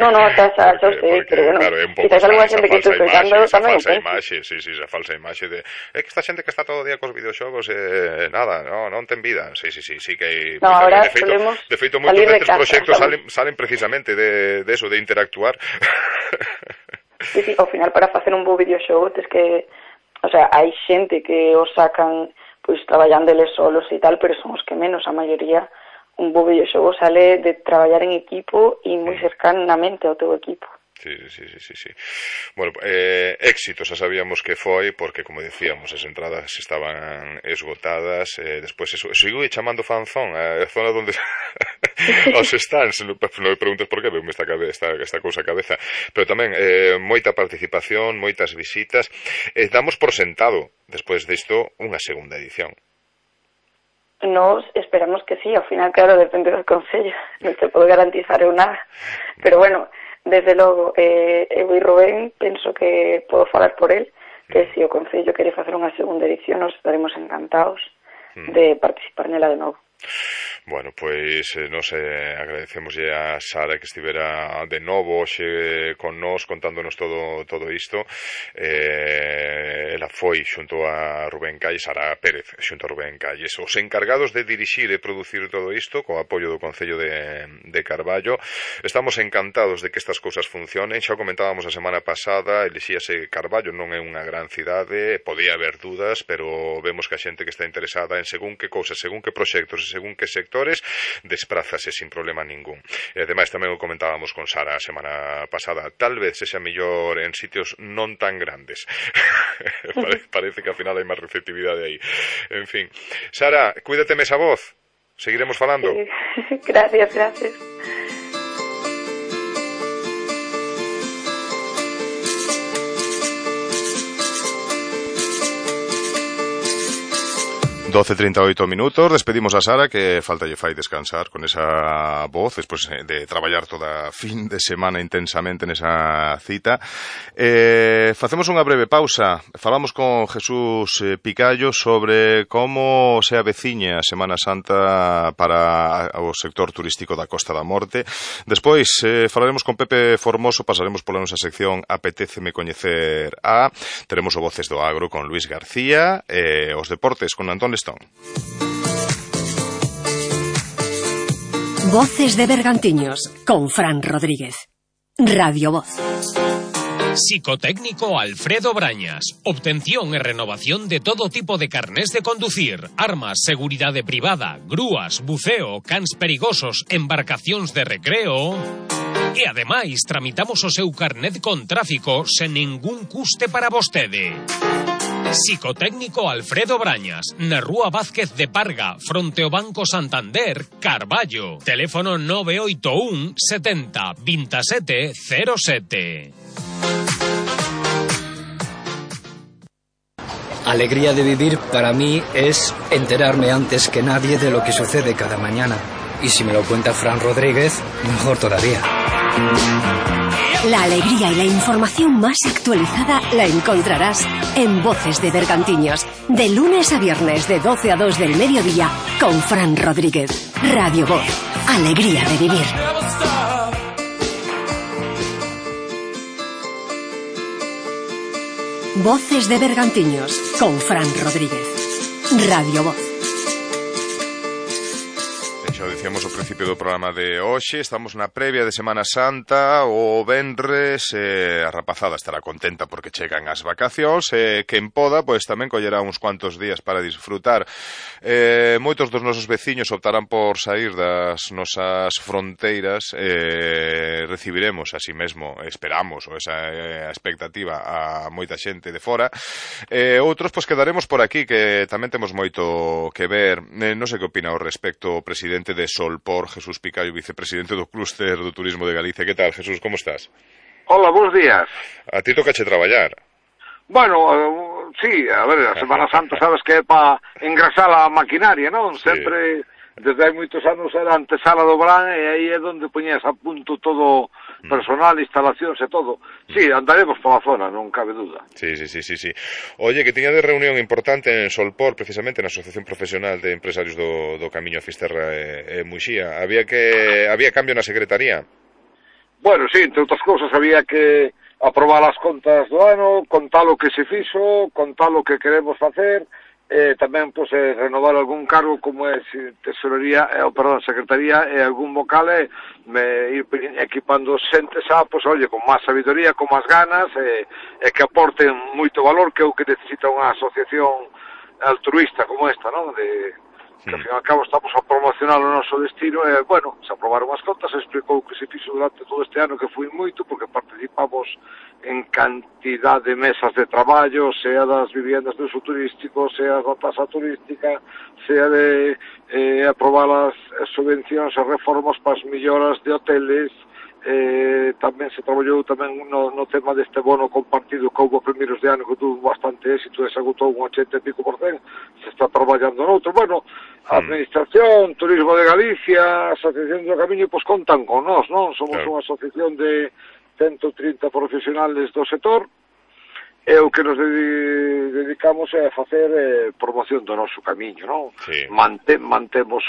No, xa sei, pero bueno, claro, quizás alguna xente que estou explicando tamén o pense. Sí, esa falsa imaxe de que esta xente que está todo o día cos videoxogos nada, non ten vida. Sí, que no, ahora solemos de feito moitos destes proxectos salen precisamente de eso, de interactuar. Sí, ao final para facer un bo videoxogo tes que, o sea, hai xente que os sacan pois traballando eles solos e tal, pero son os que menos, a maioría. Un bo videoxogo sale de traballar en equipo e moi cercanamente ao teu equipo. Sí. Bueno, éxito, xa sabíamos que foi, porque, como decíamos, as entradas estaban esgotadas, despois eso sigo chamando fanzón, a zona onde os stands, non me preguntes por que, veume esta cousa a cabeza, pero tamén moita participación, moitas visitas, damos por sentado, despois disto, unha segunda edición. Nos esperamos que sí, ao final, claro, depende do Concello, non te podo garantizar eu nada, pero bueno, desde logo, eu e Rubén penso que podo falar por él, que se o Concello quere facer unha segunda edición, nos estaremos encantados de participar nela de novo. Bueno, pois nos agradecemos a Sara que estivera de novo hoxe con nós contándonos todo isto. Ela foi xunto a Rubén Calles, Sara Pérez xunto a Rubén Calles, os encargados de dirixir e producir todo isto co apoio do Concello de Carballo. Estamos encantados de que estas cousas funcionen. Xa comentábamos a semana pasada, elixíase Carballo, non é unha gran cidade, podía haber dudas, pero vemos que a xente que está interesada en según que cousas, según que proxectos e según que sectores desprázase sin problema ningún. E ademais tamén o comentábamos con Sara a semana pasada, tal vez sexa mellor en sitios non tan grandes. Parece que ao final hai máis receptividade aí. En fin, Sara, cuídate esa voz. Seguiremos falando. Sí. Gracias. 12:38 minutos, despedimos a Sara, que falta lle fai descansar con esa voz despois de traballar toda fin de semana intensamente nesa cita. Facemos unha breve pausa, falamos con Jesús Picallo sobre como se aveciña a Semana Santa para o sector turístico da Costa da Morte. Despois falaremos con Pepe Formoso, pasaremos pola nosa sección Apetéceme coñecer a, teremos o Voces do Agro con Luis García, os deportes con Antón Lestón. Voces de Bergantiños con Fran Rodríguez. Radio Voz. Psicotécnico Alfredo Brañas. Obtención e renovación de todo tipo de carnés de conducir, armas, seguridade privada, grúas, buceo, cans perigosos, embarcacións de recreo. E ademais tramitamos o seu carnet con tráfico sen ningún custe para vostede. Psicotécnico Alfredo Brañas, na Rúa Vázquez de Parga, fronte ao Banco Santander, Carballo. Teléfono 981 70 27 07. Alegría de vivir para mí es enterarme antes que nadie de lo que sucede cada mañana. Y si me lo cuenta Fran Rodríguez, mejor todavía. La alegría y la información más actualizada la encontrarás en Voces de Bergantiños, de lunes a viernes de 12 a 2 del mediodía con Fran Rodríguez. Radio Voz, alegría de vivir. Voces de Bergantiños con Fran Rodríguez. Radio Voz. Xa dicíamos ao principio do programa de hoxe, estamos na previa de Semana Santa, o venres, a rapazada estará contenta porque chegan as vacacións, quen poda, pois tamén collerá uns cuantos días para disfrutar. Moitos dos nosos veciños optarán por sair das nosas fronteiras, recibiremos así mesmo, esperamos, ou esa expectativa a moita xente de fora, outros pois quedaremos por aquí, que tamén temos moito que ver. Non sei que opina ao respecto o presidente de Solpor, Jesús Picayo, vicepresidente do Clúster do Turismo de Galicia. Que tal, Jesús, como estás? Hola, bons días. A ti tocache traballar. Bueno, sí, a ver, a Semana Santa sabes que é para engrasar a maquinaria, non? Sí. Sempre, desde hai moitos anos, era antesala do Brán e aí é onde poñías a punto todo personal, instalacións e todo. Sí, andaremos pola zona, non cabe duda. Sí. Oye, que tiña de reunión importante en Solpor, precisamente na Asociación Profesional de Empresarios do Camiño a Fisterra e Muxía. Había cambio na secretaría? Bueno, sí, entre outras cousas había que aprobar as contas do ano, contar o que se fixo, contar o que queremos facer, tamén pois, renovar algún cargo como é secretaría e algún vocal ir equipando xente xa, pois, oye, con máis sabiduría, con máis ganas e que aporten moito valor, que é o que necesita unha asociación altruista como esta, non? Que ao fin e ao cabo estamos a promocionar o noso destino e, bueno, se aprobaron as contas, se explicou que se fixo durante todo este ano, que foi moito, porque participamos en cantidad de mesas de traballo, sea das viviendas de uso turístico, sea da tasa turística, sea de aprobar as subvencións e reformas para as melloras de hoteles. Tamén se traballou tamén no tema deste bono compartido que houve primeiros de ano, que tuvo bastante éxito e se agotou un 80 e pico %, se está traballando noutro. Bueno, a Administración, Turismo de Galicia, Asociación do Camiño, pois contan con nós, non? Somos unha asociación de 130 profesionales do sector e o que nos dedicamos é a facer promoción do noso camiño, non? Sí. Mantemos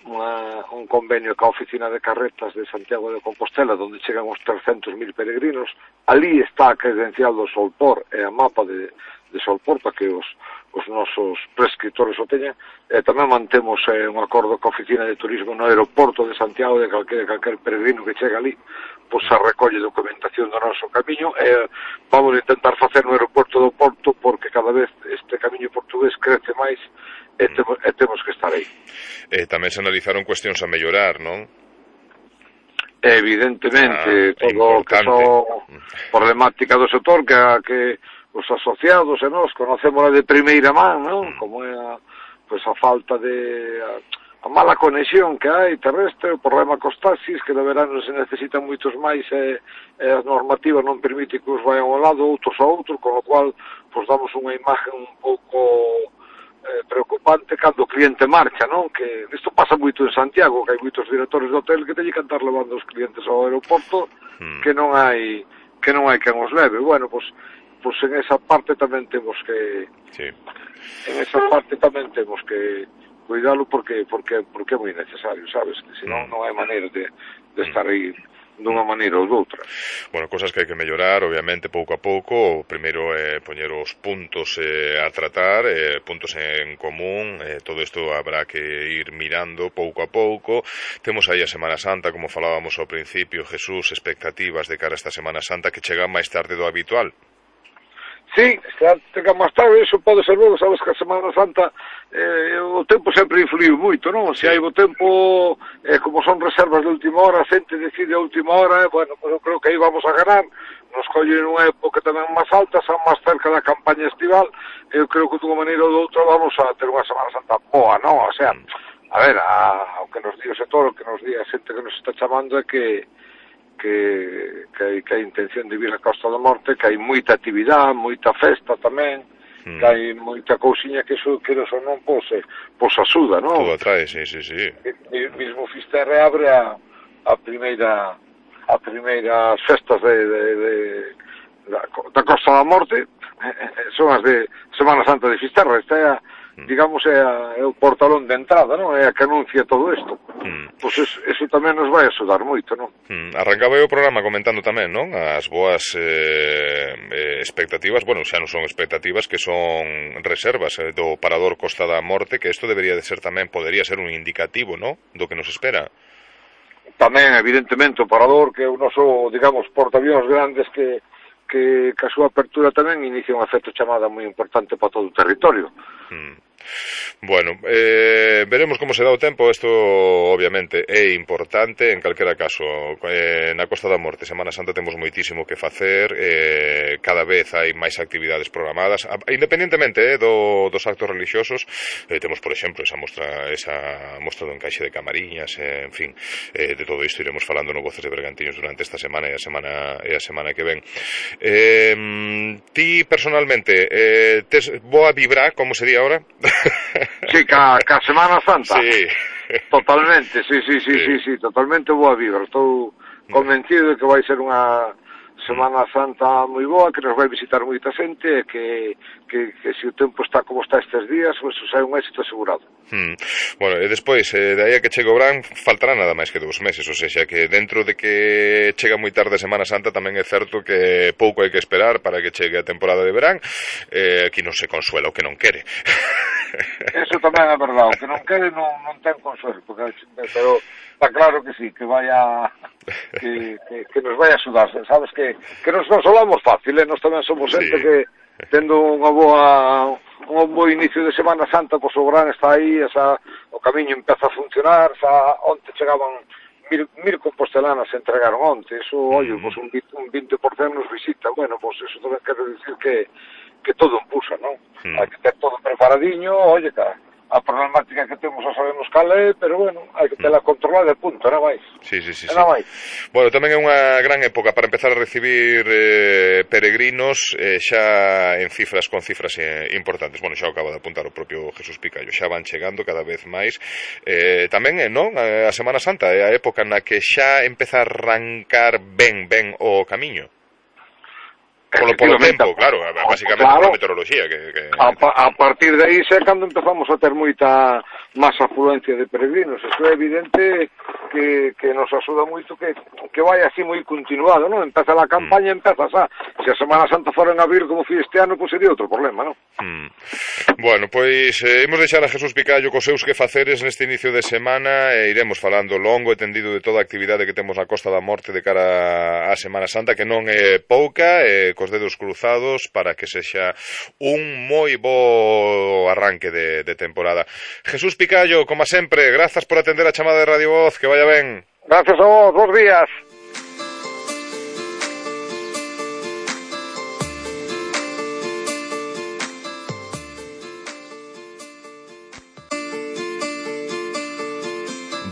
un convenio ca Oficina de Carretas de Santiago de Compostela, onde chegan os 300.000 peregrinos. Ali está a credencial do Solpor e a mapa de Solpor para que os nosos prescriptores o teñan. Tamén mantemos un acordo ca Oficina de Turismo no aeroporto de Santiago, de calquer peregrino que chega ali, pois se recolle documentación do noso camiño e vamos a intentar facer no aeroporto do Porto, porque cada vez este camiño portugués crece máis e temos que estar aí. Tamén se analizaron cuestións a mellorar, non? Evidentemente, todo o que son problemática do sector, que os asociados e nós conocemos de primeira man, non? Como é a falta de a mala conexión que hai terrestre, o problema cos taxis, que de verano se necesitan moitos máis e a normativa non permite que os vayan ao lado, outros a outro, con o cual damos unha imagen un pouco preocupante cando o cliente marcha, non? Que isto pasa moito en Santiago, que hai moitos directores de hotel que teñen que andar levando os clientes ao aeroporto, que non hai quen os leve. Bueno, pois en esa parte tamén temos que cuidalo porque é moi necesario, sabes? Que senón non hai maneira de estar aí dunha maneira ou doutra. Bueno, cosas que hai que mellorar, obviamente, pouco a pouco. O primeiro é poñer os puntos a tratar, puntos en común, todo isto habrá que ir mirando pouco a pouco. Temos aí a Semana Santa, como falábamos ao principio, Jesús, expectativas de cara a esta Semana Santa que chega máis tarde do habitual. Sí, chega máis tarde, iso pode ser bo, sabes que a Semana Santa o tempo sempre influiu moito, non? Se hai bo tempo, como son reservas de última hora, a xente decide a última hora, bueno, pues eu creo que aí vamos a ganar, nos collen unha época tamén máis alta, xa máis cerca da campaña estival, eu creo que de unha maneira ou de outra vamos a ter unha Semana Santa boa, non? O sea, a ver, o que nos di o sector, o que nos di a xente que nos está chamando é que hai intención de vir a Costa da Morte, que hai moita actividade, moita festa tamén, que hai moita cousiña que iso, queres ou non, pois axuda, non? Todo atrae, sí. Mismo Fisterra abre a primeiras festas da Costa da Morte, son as de Semana Santa de Fisterra, esta é digamos, é o portalón de entrada, non? É a que anuncia todo isto. Pois eso tamén nos vai axudar moito, non? Arrancaba eu o programa comentando tamén, non? As boas expectativas, bueno, xa non son expectativas, que son reservas do Parador Costa da Morte, que isto debería de ser tamén, podería ser un indicativo, non? Do que nos espera. Tamén, evidentemente, o Parador, que é o noso, digamos, portaavións grandes que a súa apertura tamén inicia un efecto chamada moi importante para todo o territorio. Bueno, veremos como se dá o tempo. Isto obviamente é importante en calquera caso. Na Costa da Morte, Semana Santa, temos moitísimo que facer, cada vez hai máis actividades programadas, independentemente dos actos religiosos. Temos, por exemplo, esa mostra do encaixe de camariñas, en fin, de todo isto iremos falando no Voces de Bergantiños durante esta semana e a semana que ven. Ti personalmente tes boa vibra, como se di ahora? Sí, ca Semana Santa. Sí. Totalmente, sí, totalmente boa vibra. Estou convencido de que vai ser unha Semana Santa moi boa, que nos vai visitar moita xente, e que se o tempo está como está estes días, pois é un éxito asegurado. Bueno, e despois, de aí a que chegue o verán, faltará nada máis que 2 meses, ou seja, que dentro de que chega moi tarde a Semana Santa, tamén é certo que pouco hai que esperar para que chegue a temporada de verán. Aquí non se consuela o que non quere. Eso tamén é verdade, o que non quere non ten consuelo, pero está claro que sí, que vaya que nos vai a axudar, sabes que nos consolamos fácil, nós tamén somos xente que tendo un bo inicio de Semana Santa, pois o verán está aí, o camiño empeza a funcionar, onte chegaban 1000 compostelanas se entregaron onte, eso, oye, pois un 20% nos visita, bueno, pois eso tamén quero dicir que todo empuxa, non? Hai que ter todo preparadiño, oye, a problemática que temos xa sabemos cal é, pero bueno, hai que tela controlada de punto, non máis. Sí. Non máis. Bueno, tamén é unha gran época para empezar a recibir peregrinos, xa en cifras importantes. Bueno, xa acaba de apuntar o propio Jesús Picallo, xa van chegando cada vez máis. Tamén, non? A Semana Santa é a época na que xa empeza a arrancar ben o camiño. Polo tempo, claro, basicamente pola meteoroloxía a partir de aí é cando empezamos a ter moita máis afluencia de peregrinos. Isto é evidente que nos axuda moito que vai así moi continuado, non? Empeza a campaña, empeza xa. Se a Semana Santa fora en abril como foi este ano, pois sería outro problema, non? Bueno, pois imos deixar a Jesús Picallo cos seus quefaceres neste inicio de semana e iremos falando longo e tendido de toda a actividade que temos na Costa da Morte de cara á Semana Santa, que non é pouca, cos dedos cruzados para que sexa un moi bo arranque de temporada. Jesús Picallo, como sempre, grazas por atender a chamada de Radio Voz, que vaya ben. Gracias a vos, bons días.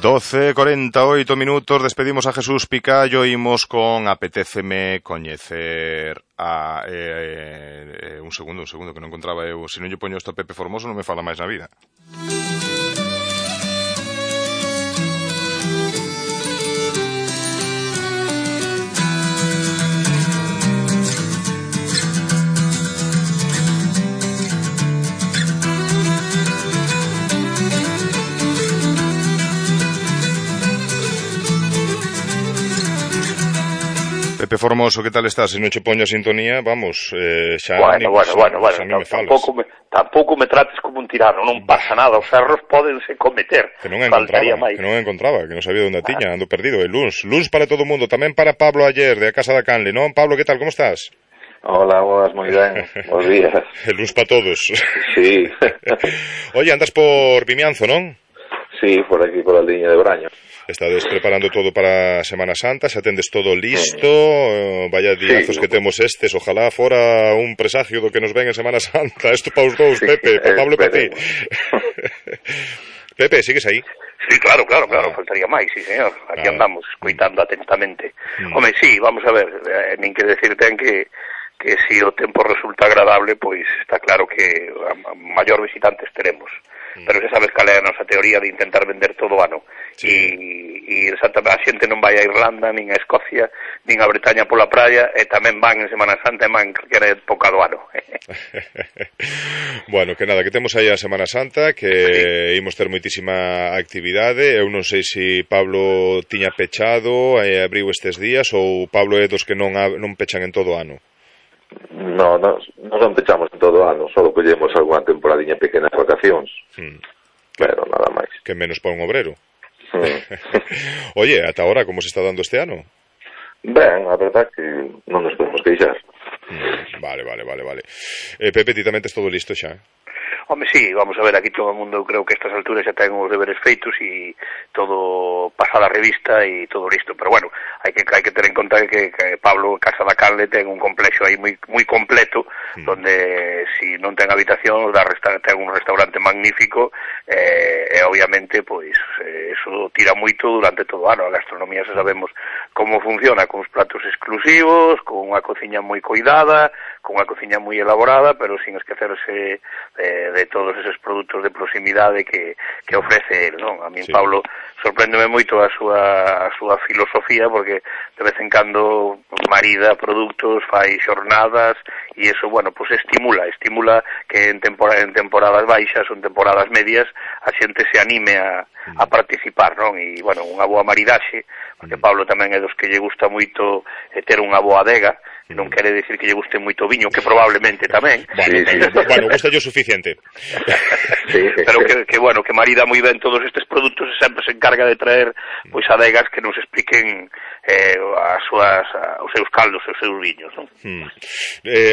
(12:48), despedimos a Jesús Picallo, imos con Apetéceme coñecer a... un segundo, que non encontraba eu. Se non lle poño isto a Pepe Formoso non me fala máis na vida. Pepe Formoso, que tal estás? Se non che poño a sintonía, vamos, xa... Bueno, tampouco me trates como un tirano, non pasa nada, os erros pódense cometer. Que non encontraba, que non sabía onde tiña, ando perdido. E luns para todo o mundo, tamén para Pablo Ayer, de A Casa da Canle, non? Pablo, que tal, como estás? Hola, boas, moi ben, bons días. E luns para todos. Sí. Oye, andas por Vimianzo, non? Sí, por aquí, por a liña de Braño. Estades preparando todo para Semana Santa, xa tendes todo listo, vaya diazos que temos estes, ojalá fora un presagio do que nos ven en Semana Santa, isto pa os dous, Pepe, pa Pablo e pa ti. Pepe, sigues aí? Sí, claro, faltaría máis, sí, señor, aquí andamos, escoitando atentamente. Home, sí, vamos a ver, nin que decir ten que si o tempo resulta agradable, pois está claro que a maior visitantes teremos. Pero xa sabes cal é a nosa teoría de intentar vender todo o ano. E exactamente, a xente non vai a Irlanda, nin a Escocia, nin a Bretaña pola praia, e tamén van en Semana Santa e van en calquera época do ano. Bueno, que nada, que temos aí a Semana Santa, que imos ter moitísima actividade. Eu non sei se Pablo tiña pechado e abriu estes días, ou Pablo é dos que non pechan en todo o ano. No, non pechamos en todo o ano, só collemos algunha temporadiña pequena de vacacións, pero nada máis. Que menos para un obrero. Oye, ata ahora, como se está dando este ano? Ben, a verdad que non nos podemos queixar. Vale. Pepe, ti tamén tes todo listo xa? Home, sí, vamos a ver, aquí todo o mundo, creo que a estas alturas xa ten os deberes feitos e todo pasada a revista e todo listo, pero bueno, hai que ter en conta que Pablo Casa da Canle ten un complexo aí moi completo, donde si non ten habitación, ten un restaurante magnífico, e obviamente, pois, eso tira moito durante todo o ano. A gastronomía xa sabemos como funciona, con os platos exclusivos, con unha cociña moi coidada, con unha cociña moi elaborada, pero sin esquecerse de todos esos produtos de proximidade que ofrece el, non? A min Pablo sorpréndeme moito a súa filosofía, porque de vez en cando marida produtos, fai xornadas, e eso, bueno, pues estimula que en temporadas baixas ou en temporadas medias a xente se anime a participar, non? E, bueno, unha boa maridaxe, porque Pablo tamén é dos que lle gusta moito ter unha boa adega, non quere decir que lle guste moito viño, que probablemente tamén. Bueno, gusta yo suficiente. Pero que bueno, que marida moi ben todos estes produtos e sempre se encarga de traer pois adegas que nos expliquen os seus caldos, os seus viños, non?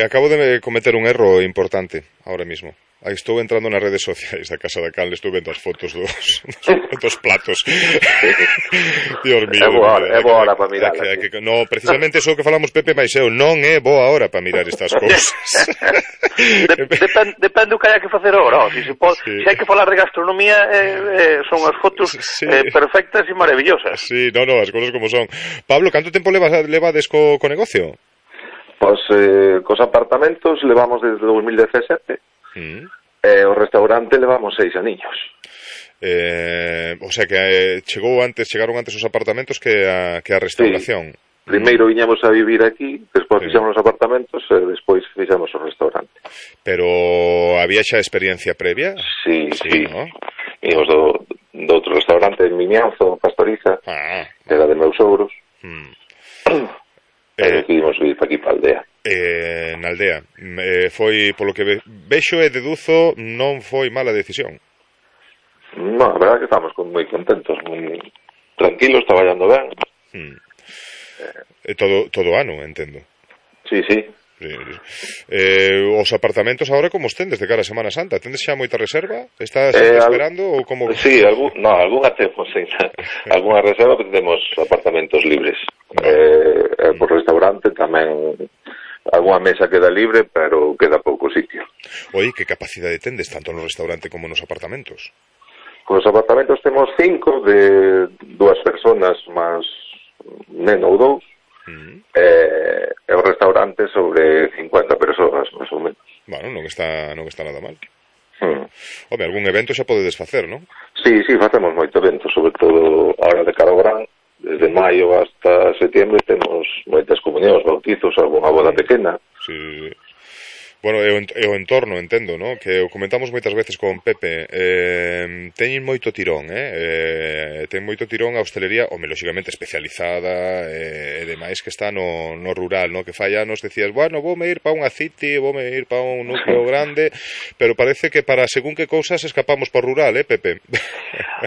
Acabo de cometer un erro importante ahora mismo. Aí estou entrando nas redes sociais da Casa da Canle, estou vendo as fotos dos platos. Dios mío. É boa hora para mirar. No, precisamente iso que falamos Pepe, mas eu non é boa hora para mirar estas cousas. Depende do que haya que facer agora. Se hai que falar de gastronomía, son as fotos perfectas e maravillosas. Sí, as cousas como son. Pablo, canto tempo levades co negocio? Pois cos apartamentos levamos desde 2017. O restaurante levamos 6 aniños. O sea que chegaron antes os apartamentos que a restauración. Primeiro viñamos a vivir aquí, despois fixamos os apartamentos e despois fixamos o restaurante. Pero había xa experiencia previa? Sí, ¿no? Íbamos do outro restaurante en Vimianzo, Pastoriza, que era de meus sogros. Decidimos vir para aquí, para a aldea. Na aldea. Foi, polo que vexo e deduzo, non foi mala decisión. Non, a verdade que estamos moi contentos, moi tranquilos, traballando ben. Todo ano, entendo. Sí. Os apartamentos agora como os tendes de cara a Semana Santa? Tendes xa moita reserva? Estás esperando ou como? Sí, algunha temos, algunha reserva, pero temos apartamentos libres. Por restaurante tamén algunha mesa queda libre, pero queda pouco sitio. Oi, que capacidade tendes tanto no restaurante como nos apartamentos? Os apartamentos temos 5 de 2 personas máis neno ou 2. E o restaurante sobre 50 persoas, máis ou menos. Bueno, non está nada mal. Home, algún evento xa podedes facer, non? Sí, facemos moito evento, sobre todo a hora de cara ao verán. Desde maio hasta setiembre temos moitas comunións, bautizos, algunha boda pequena. Sí. Bueno, e o entorno, entendo, ¿no? Que o comentamos moitas veces con Pepe, teñen moito tirón, ten moito tirón a hostelería, lóxicamente especializada, e demais que está no rural, ¿no? Que fai anos decías, bueno, voume ir para unha city, voume ir para un núcleo grande, pero parece que para según que cousas escapamos por rural, Pepe?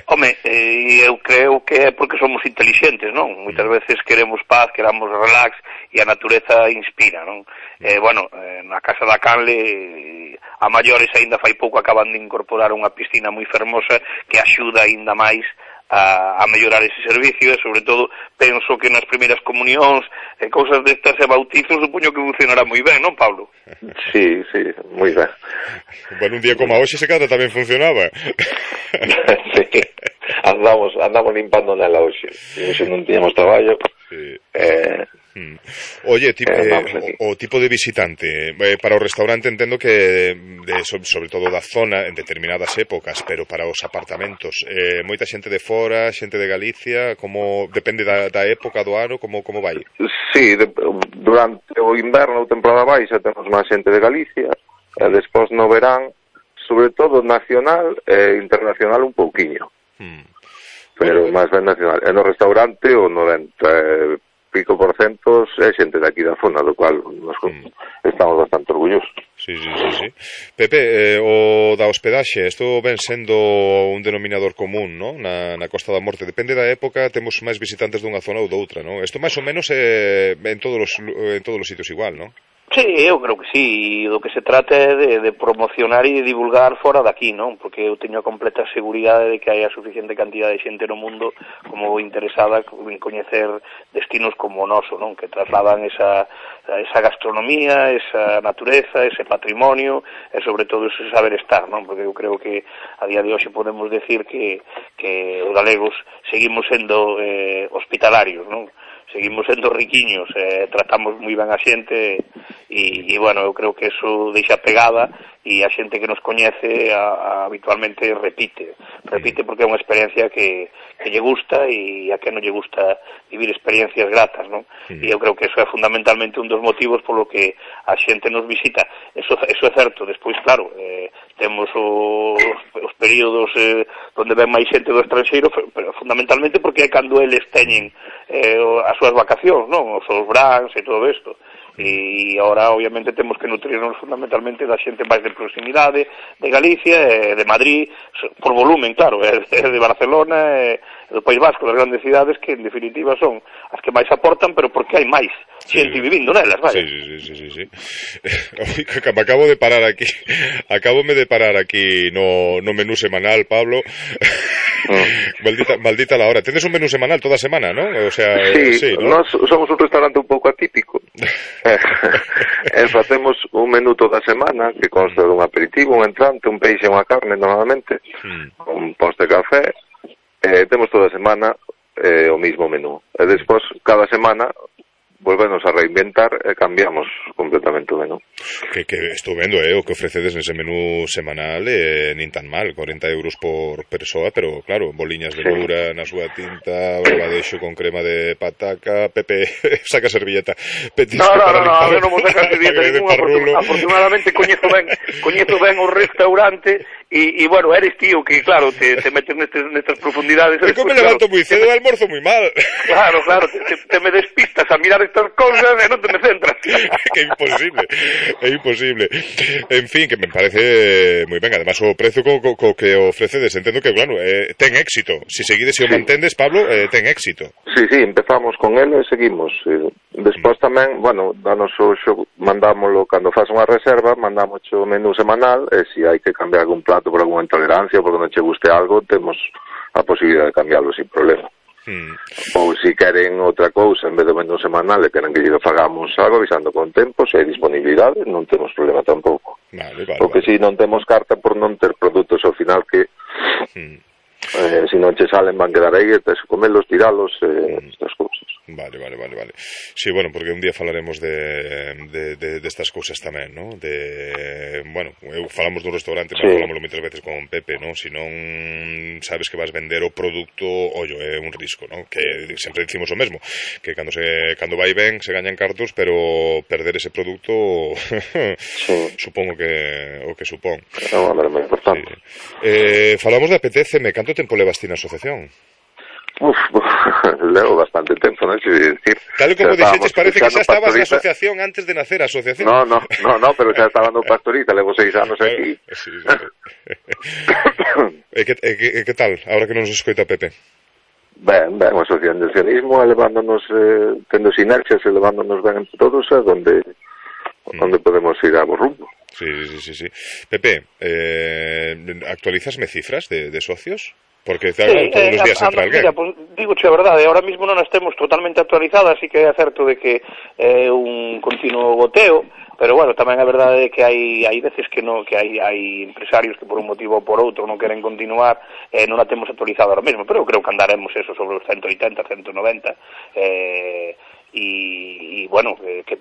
Home, eu creo que é porque somos intelixentes, non? Moitas veces queremos paz, queremos relax, e a natureza inspira, non? Bueno, na Casa da Canle a maiores aínda fai pouco acaban de incorporar unha piscina moi fermosa que axuda aínda máis a mellorar ese servicio e sobre todo penso que nas primeiras comunións e cousas destas e bautizos supoño que funcionará moi ben, non, Pablo? Sí, moi ben. Bueno, un día como hoxe se cada tamén funcionaba. Sí, andamos limpando nela hoxe non tiñamos traballo. Sí. Oye, o tipo de visitante para o restaurante entendo que sobre todo da zona en determinadas épocas, pero para os apartamentos moita xente de fora, xente de Galicia, como depende da época do ano, como vai? Sí, durante o inverno ou temporada baixa temos máis xente de Galicia e despois no verán sobre todo nacional e internacional un pouquiño, pero máis ben nacional. E no restaurante o 90% é xente de aquí da zona, do cual nos estamos bastante orgullosos. Sí. Pepe, o da hospedaxe, isto ven sendo un denominador común, ¿no? Na Costa da Morte. Depende da época, temos máis visitantes dunha zona ou doutra, ¿no? Isto máis ou menos en todos os sitios igual, ¿no? Sí, eu creo que sí, do que se trata é de promocionar e de divulgar fora daqui, non? Porque eu teño a completa seguridade de que hai a suficiente cantidad de xente no mundo como interesada en coñecer destinos como o noso, non? Que trasladan esa gastronomía, esa natureza, ese patrimonio e sobre todo ese saber estar, non? Porque eu creo que a día de hoxe podemos decir que os galegos seguimos sendo hospitalarios, non? Seguimos sendo riquiños, tratamos moi ben a xente e bueno, eu creo que eso deixa pegada e a xente que nos coñece habitualmente repite porque é unha experiencia que lle gusta e a que non lle gusta vivir experiencias gratas, non? E eu creo que eso é fundamentalmente un dos motivos polo que a xente nos visita. Eso é certo. Despois, claro, temos os períodos onde ven máis xente do estranxeiro, pero fundamentalmente porque é cando eles teñen as súas vacacións, non? Os seus brans e todo isto. E agora, obviamente, temos que nutrirnos fundamentalmente da xente máis de proximidade, de Galicia, de Madrid, por volumen, claro, de Barcelona, do País Vasco, das grandes cidades que, en definitiva, son as que máis aportan, pero porque hai máis xente vivindo nelas, vai? Sí. Acabome de parar aquí no menú semanal, Pablo. Maldita la hora. Tedes un menú semanal toda semana, ¿no? O sea, sí, ¿no? Nós somos un restaurante un pouco atípico. Facemos un menú toda semana que consta dun aperitivo, un entrante, un peixe e unha carne normalmente, un poste de café. Temos toda semana o mismo menú e despois cada semana volvemos a reinventar e cambiamos completamente o menú. Que estou vendo, o que ofrecedes nese menú semanal nin tan mal, 40 euros por persoa, pero claro, boliñas de lura na súa tinta, barbadexo con crema de pataca. Pepe, saca servilleta. No, eu non vou sacar servilleta ninguna, afortunadamente coñezo ben o restaurante e bueno, eres tío que claro, te metes nestas profundidades. Eu me levanto moi cedo e almorzo moi mal. Claro, te me despistas a mirar estas cousas e non te me centras. Que é imposible. En fin, que me parece moi ben. Además, o prezo co que ofrecedes, entendo que, claro, ten éxito. Se seguides e o mantendes, Pablo, ten éxito. Sí, empezamos con ele e seguimos. Despois tamén, bueno, danos o xo, mandámoslo, cando faz unha reserva, mandamos o menú semanal e se hai que cambiar algún plato por algunha intolerancia ou porque non che guste algo, temos a posibilidade de cambiarlo sin problema. Ou se queren outra cousa en vez do menú semanal e queren que lle fagamos algo avisando con tempo, se hai disponibilidade non temos problema tampouco. Porque se non temos carta por non ter produtos ao final que se non che salen van quedar aí, tes comelos, tiralos, estas cousas. Vale. Sí, bueno, porque un día falaremos de estas cousas tamén, ¿no? Falamos dun restaurante, sí. Falamos moitas veces con Pepe, ¿no? Si non sabes que vas vender o produto, ollo, é un risco, ¿no? Que sempre dicimos o mesmo, que cando vai ben se gañan cartos, pero perder ese produto sí. Supongo que o que supón. É moi importante. Sí. Falamos de APTCM, canto tempo levas ti na asociación? Levo bastante tempo, non sei dicir. Tal como dixetes, parece que xa estabas na asociación antes de nacer a asociación. No, pero xa estaba no Pastoriza, levo 6 anos aquí. Sí. E que tal, agora que non nos escoita Pepe? Ben, o asociacionismo elevándonos, tendo sinerxias, elevándonos ben entre todos, é onde podemos ir a bo rumbo. Sí. Pepe, actualizasme cifras de socios? Porque todos os días entra alguén. Mira, pues, digoche a verdade, ahora mismo non as temos totalmente actualizadas, así que é certo de que é un continuo goteo, pero bueno, tamén é verdade que hai veces que hai empresarios que por un motivo ou por outro non queren continuar, non a temos actualizada ahora mesmo, pero eu creo que andaremos eso sobre os 180, 190, y bueno, que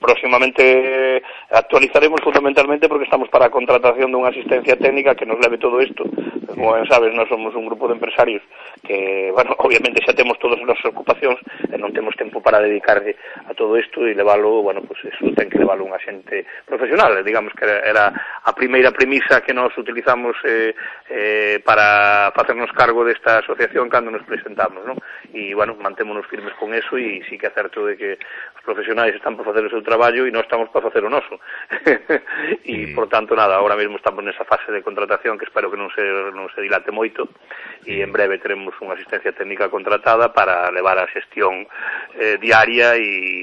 próximamente actualizaremos fundamentalmente porque estamos para a contratación dunha asistencia técnica que nos leve todo isto. Como ben sabes, nós somos un grupo de empresarios que, bueno, obviamente xa temos todas as nosas ocupacións e non temos tempo para dedicarle a todo isto e leválo, bueno, pues eso ten que leválo un xente profesional, digamos que era a primeira premisa que nós utilizamos para facernos cargo desta asociación cando nos presentamos, non? E, bueno, mantémonos firmes con eso e sí que é certo de que os profesionais están para facer o seu traballo e nós estamos para facer o noso. E, por tanto, nada, ahora mesmo estamos nesa fase de contratación que espero que non se dilate moito e en breve teremos unha asistencia técnica contratada para levar a xestión diaria e